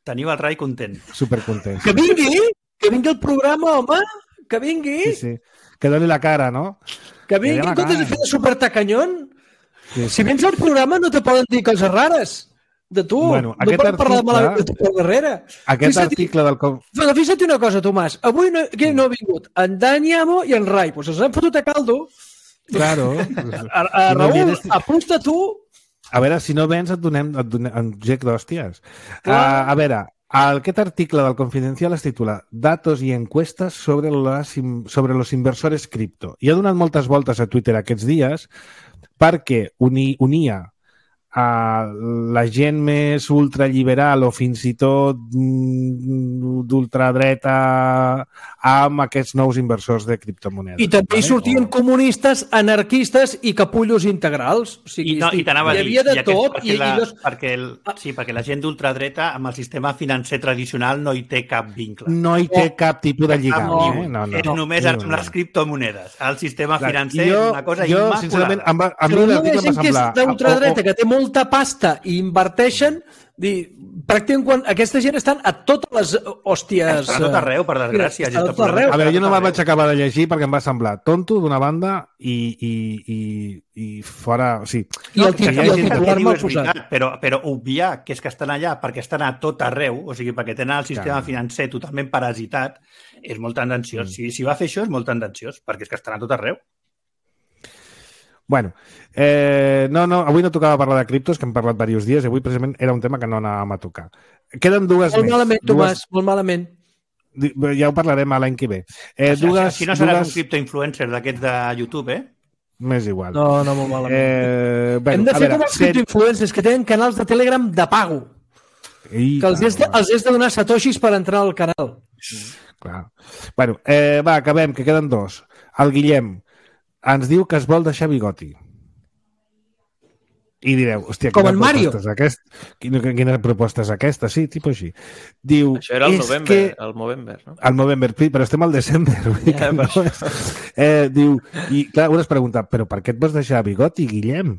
Teniu el Rai content.
Supercontent.
Que vingui, que vingui el programa, home, que vingui.
Sí, sí. Que doni la cara, no?
Que vingui, en comptes de fer de supertacanyón. Sí, sí. Si vens al programa no te poden dir coses rares de tu.
Bueno,
no poden
article,
parlar de malament de tu per darrere.
Aquest article del...
Fixa't una cosa, Tomàs. Avui no, que no ha vingut en Dani Amo i en Rai. Pues els han fotut a caldo.
Claro.
A, a Raül, no vienes... apusta tu.
A veure, si no vens et donem, et donem un gec d'hòsties. Uh, a veure, aquest article del Confidencial es titula Datos i encuestes sobre, las, sobre los inversores cripto. I ha donat moltes voltes a Twitter aquests dies perquè uni, unia a la gent més ultraliberal o fins i tot d'ultradreta amb aquests nous inversors de criptomonedes.
I també hi sortien o... comunistes, anarquistes i capullos integrals. O sigui,
I, no, i t'anava a dir,
hi havia de tot.
Perquè,
i,
la,
i los...
perquè, el, sí, perquè la gent d'ultradreta amb el sistema financer tradicional no hi té cap vincle.
No hi té cap tipus de lligam.
No,
eh? no, no,
és
no,
només
no,
amb
no.
les criptomonedes. El sistema
Clar,
financer
jo,
és una cosa
jo,
immaculada.
Sincerament, amb, amb
Però
mi
no hi ha gent que és d'ultradreta, que té molta pasta i inverteixen. Dir, pràcticament quan aquesta gent estan a totes les hòsties...
Estan a tot arreu, per desgràcia.
Estan a tot arreu.
A veure, jo no me'l vaig acabar de llegir perquè em va semblar tonto d'una banda i, i, i, i fora... O sigui,
I el,
que
i el titular mal posat.
Veritat, però, però obviar que és que estan allà perquè estan a tot arreu, o sigui, perquè tenen el sistema Clar. financer totalment parasitat, és molt tendenciós. Mm. Si, si va fer això és molt tendenciós, perquè és que estan a tot arreu.
Bueno, eh, no, no, avui no tocava parlar de criptos, que hem parlat diversos dies, i avui precisament era un tema que no anàvem a tocar. Queden dues
molt
més.
Molt malament,
dues...
Tomàs, molt malament.
Ja ho parlarem l'any que ve. Eh,
si,
dues,
si no seràs
dues...
un criptoinfluencer d'aquests de YouTube, eh?
M'és igual.
No, no, molt malament.
Eh, bueno,
Hem de fer
veure,
com els criptoinfluencers que tenen canals de Telegram de pago. I, que els has, de, els has de donar satoshis per entrar al canal.
Clar. Bueno, eh, va, acabem, que queden dos. El Guillem ens diu que es vol deixar bigoti. I direu, hòstia,
com en Mario.
Aquest, quina, quina proposta és aquesta? Sí, tipus així. Diu,
això era el novembre, que... el Movember, no?
El Movember, però estem al desembre. Ja, no és... eh, diu, i clar, una es pregunta, però per què et vas deixar bigoti, Guillem?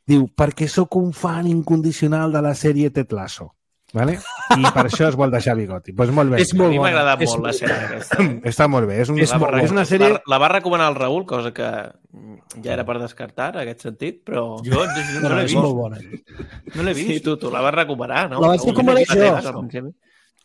Diu, perquè sóc un fan incondicional de la sèrie Ted Lasso. Vale? I per això es vol deixar bigoti. Pues molt bé.
És molt a mi m'ha agradat molt la sèrie aquesta.
Està molt bé. És, un,
és,
molt, és una sèrie...
La, la va recomanar el Raül, cosa que ja era per descartar, en aquest sentit, però...
Jo no, no, no l'he vist.
Molt bona.
No l'he vist.
Sí, tu, tu la vas recomanar, no?
La vaig recomanar jo.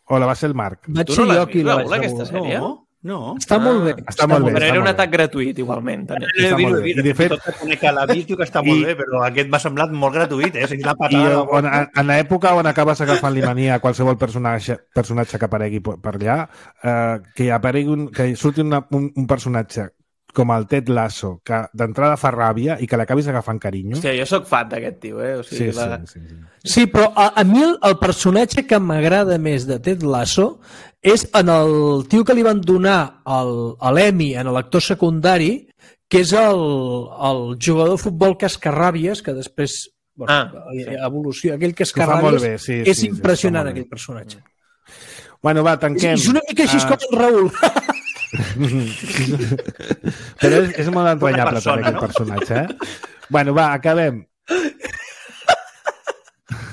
O la va ser el Marc.
Vaig
tu no
ser
l'has
jo qui
vist,
la
Raül,
vaig
aquesta sèrie?
No. No.
Està molt bé.
Està, està molt bé.
Però era un
atac
gratuït, igualment.
No l'he vist, vist. De fet, tot que conec que l'ha vist, diu que està molt I, bé, però aquest m'ha semblat molt gratuït, eh? O sigui, la patada...
I on, en l'època on acabes agafant l'imania a qualsevol personatge, personatge que aparegui per allà, eh, que aparegui un, que surti una, un, un personatge com el Ted Lasso, que d'entrada fa ràbia i que l'acabis agafant carinyo.
Hòstia, jo sóc fan d'aquest tio, eh? O sigui,
sí,
la...
sí, sí, sí.
Sí, però a, a mi el, el personatge que m'agrada més de Ted Lasso és en el tio que li van donar l'Emmy en l'actor secundari, que és el, el jugador de futbol Cascarràbies, que després bueno,
ah, sí.
evolució, aquell Cascarràbies,
sí,
és
sí,
impressionant
sí,
aquell personatge.
Bueno, va, tanquem.
És una mica així uh... com el Raül.
Però és, és molt entranyable persona, també, no? Aquest personatge, eh? Bueno, va, acabem.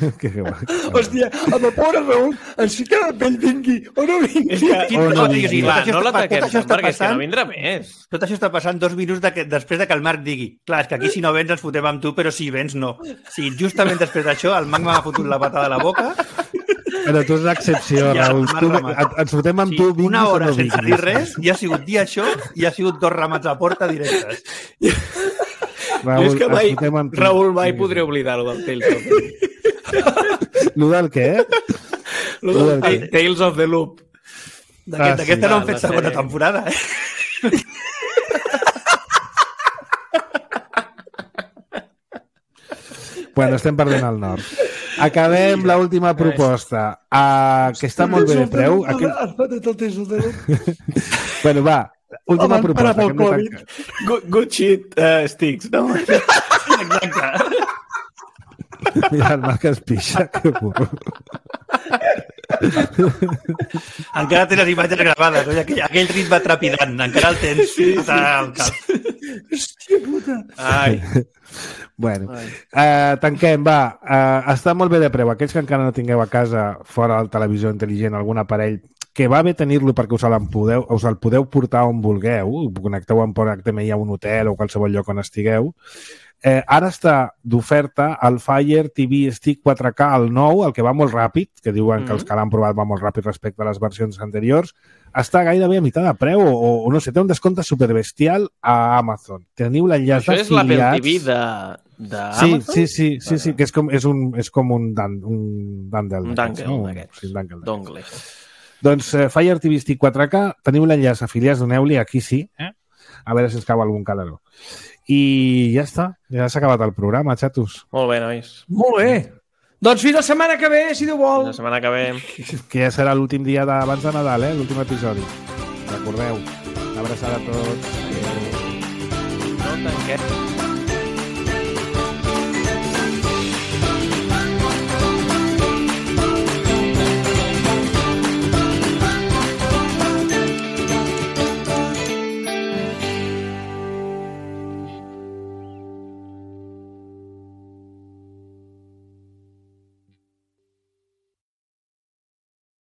que, que, que,
Hòstia, amb el pobre Raül ens fica la pell vingui o no vingui.
És que,
o no vingui.
Sí,
clar,
no
l'ataquem, perquè és que no vindrà més.
Tot això està passant dos minuts de que, després de que el Marc digui clar, és que aquí si no vens ens fotem amb tu, però si vens no. Sí, justament després d'això el Marc m'ha fotut la patada a la boca.
Però tu és l'excepció, ja, Raül. Tu, et, ens fotem amb sí, tu, vinguis
una hora
no
sense dir res, i ha sigut dir això, i ha sigut dos ramats a porta directes.
Raül, jo és que mai, Raül, mai podré oblidar-ho del Tales of the Loop.
Lo del què?
Lo del què? Tales of the Loop.
D'aquesta ah, sí, no han fet segona sèrie. Temporada, eh?
Bueno, estem perdent el nord. Acabem l'última proposta, uh, que està molt bé de preu. Bueno, va, última proposta.
Good, good shit uh, sticks, no?
Exacte.
Mira, el Marc es pixa, que burro.
Encara tens les imatges gravades, oi? Aquell, aquell ritme trepidant, encara el tens. Sí, sí. Al cap.
Hòstia puta.
Ai.
Bueno, uh, tanquem, va. Uh, està molt bé de preu. Aquells que encara no tingueu a casa, fora del televisor intel·ligent, algun aparell, que va bé tenir-lo perquè us el, podeu, us el podeu portar on vulgueu, connecteu amb H D M I a un hotel o qualsevol lloc on estigueu. Eh, ara està d'oferta el Fire T V Stick quatre K, el nou, el que va molt ràpid, que diuen mm-hmm. que els que l'han provat va molt ràpid respecte a les versions anteriors, està gairebé a meitat de preu o, o no sé, té un descompte superbestial a Amazon. Teniu l'enllaç d'afiliats...
Això és l'Apple T V de, de
sí,
Amazon?
Sí, sí, sí, sí, que és com, és un, és com un, dan, un dangle.
Un dangle
no?
d'aquests.
Sí, un dangle
Dongle.
Doncs eh, Fire T V Stick quatre K, teniu l'enllaç afiliats, doneu-li, aquí sí, eh? A veure si ens cau algun calaró. I ja està, ja s'ha acabat el programa, xatos.
Molt bé, nois.
Molt bé. Doncs fins la setmana que ve, si Déu vol.
Fins la setmana que ve.
Que ja serà l'últim dia d'abans de Nadal, eh? L'últim episodi. Recordeu. Una abraçada a tots.
No tanquem.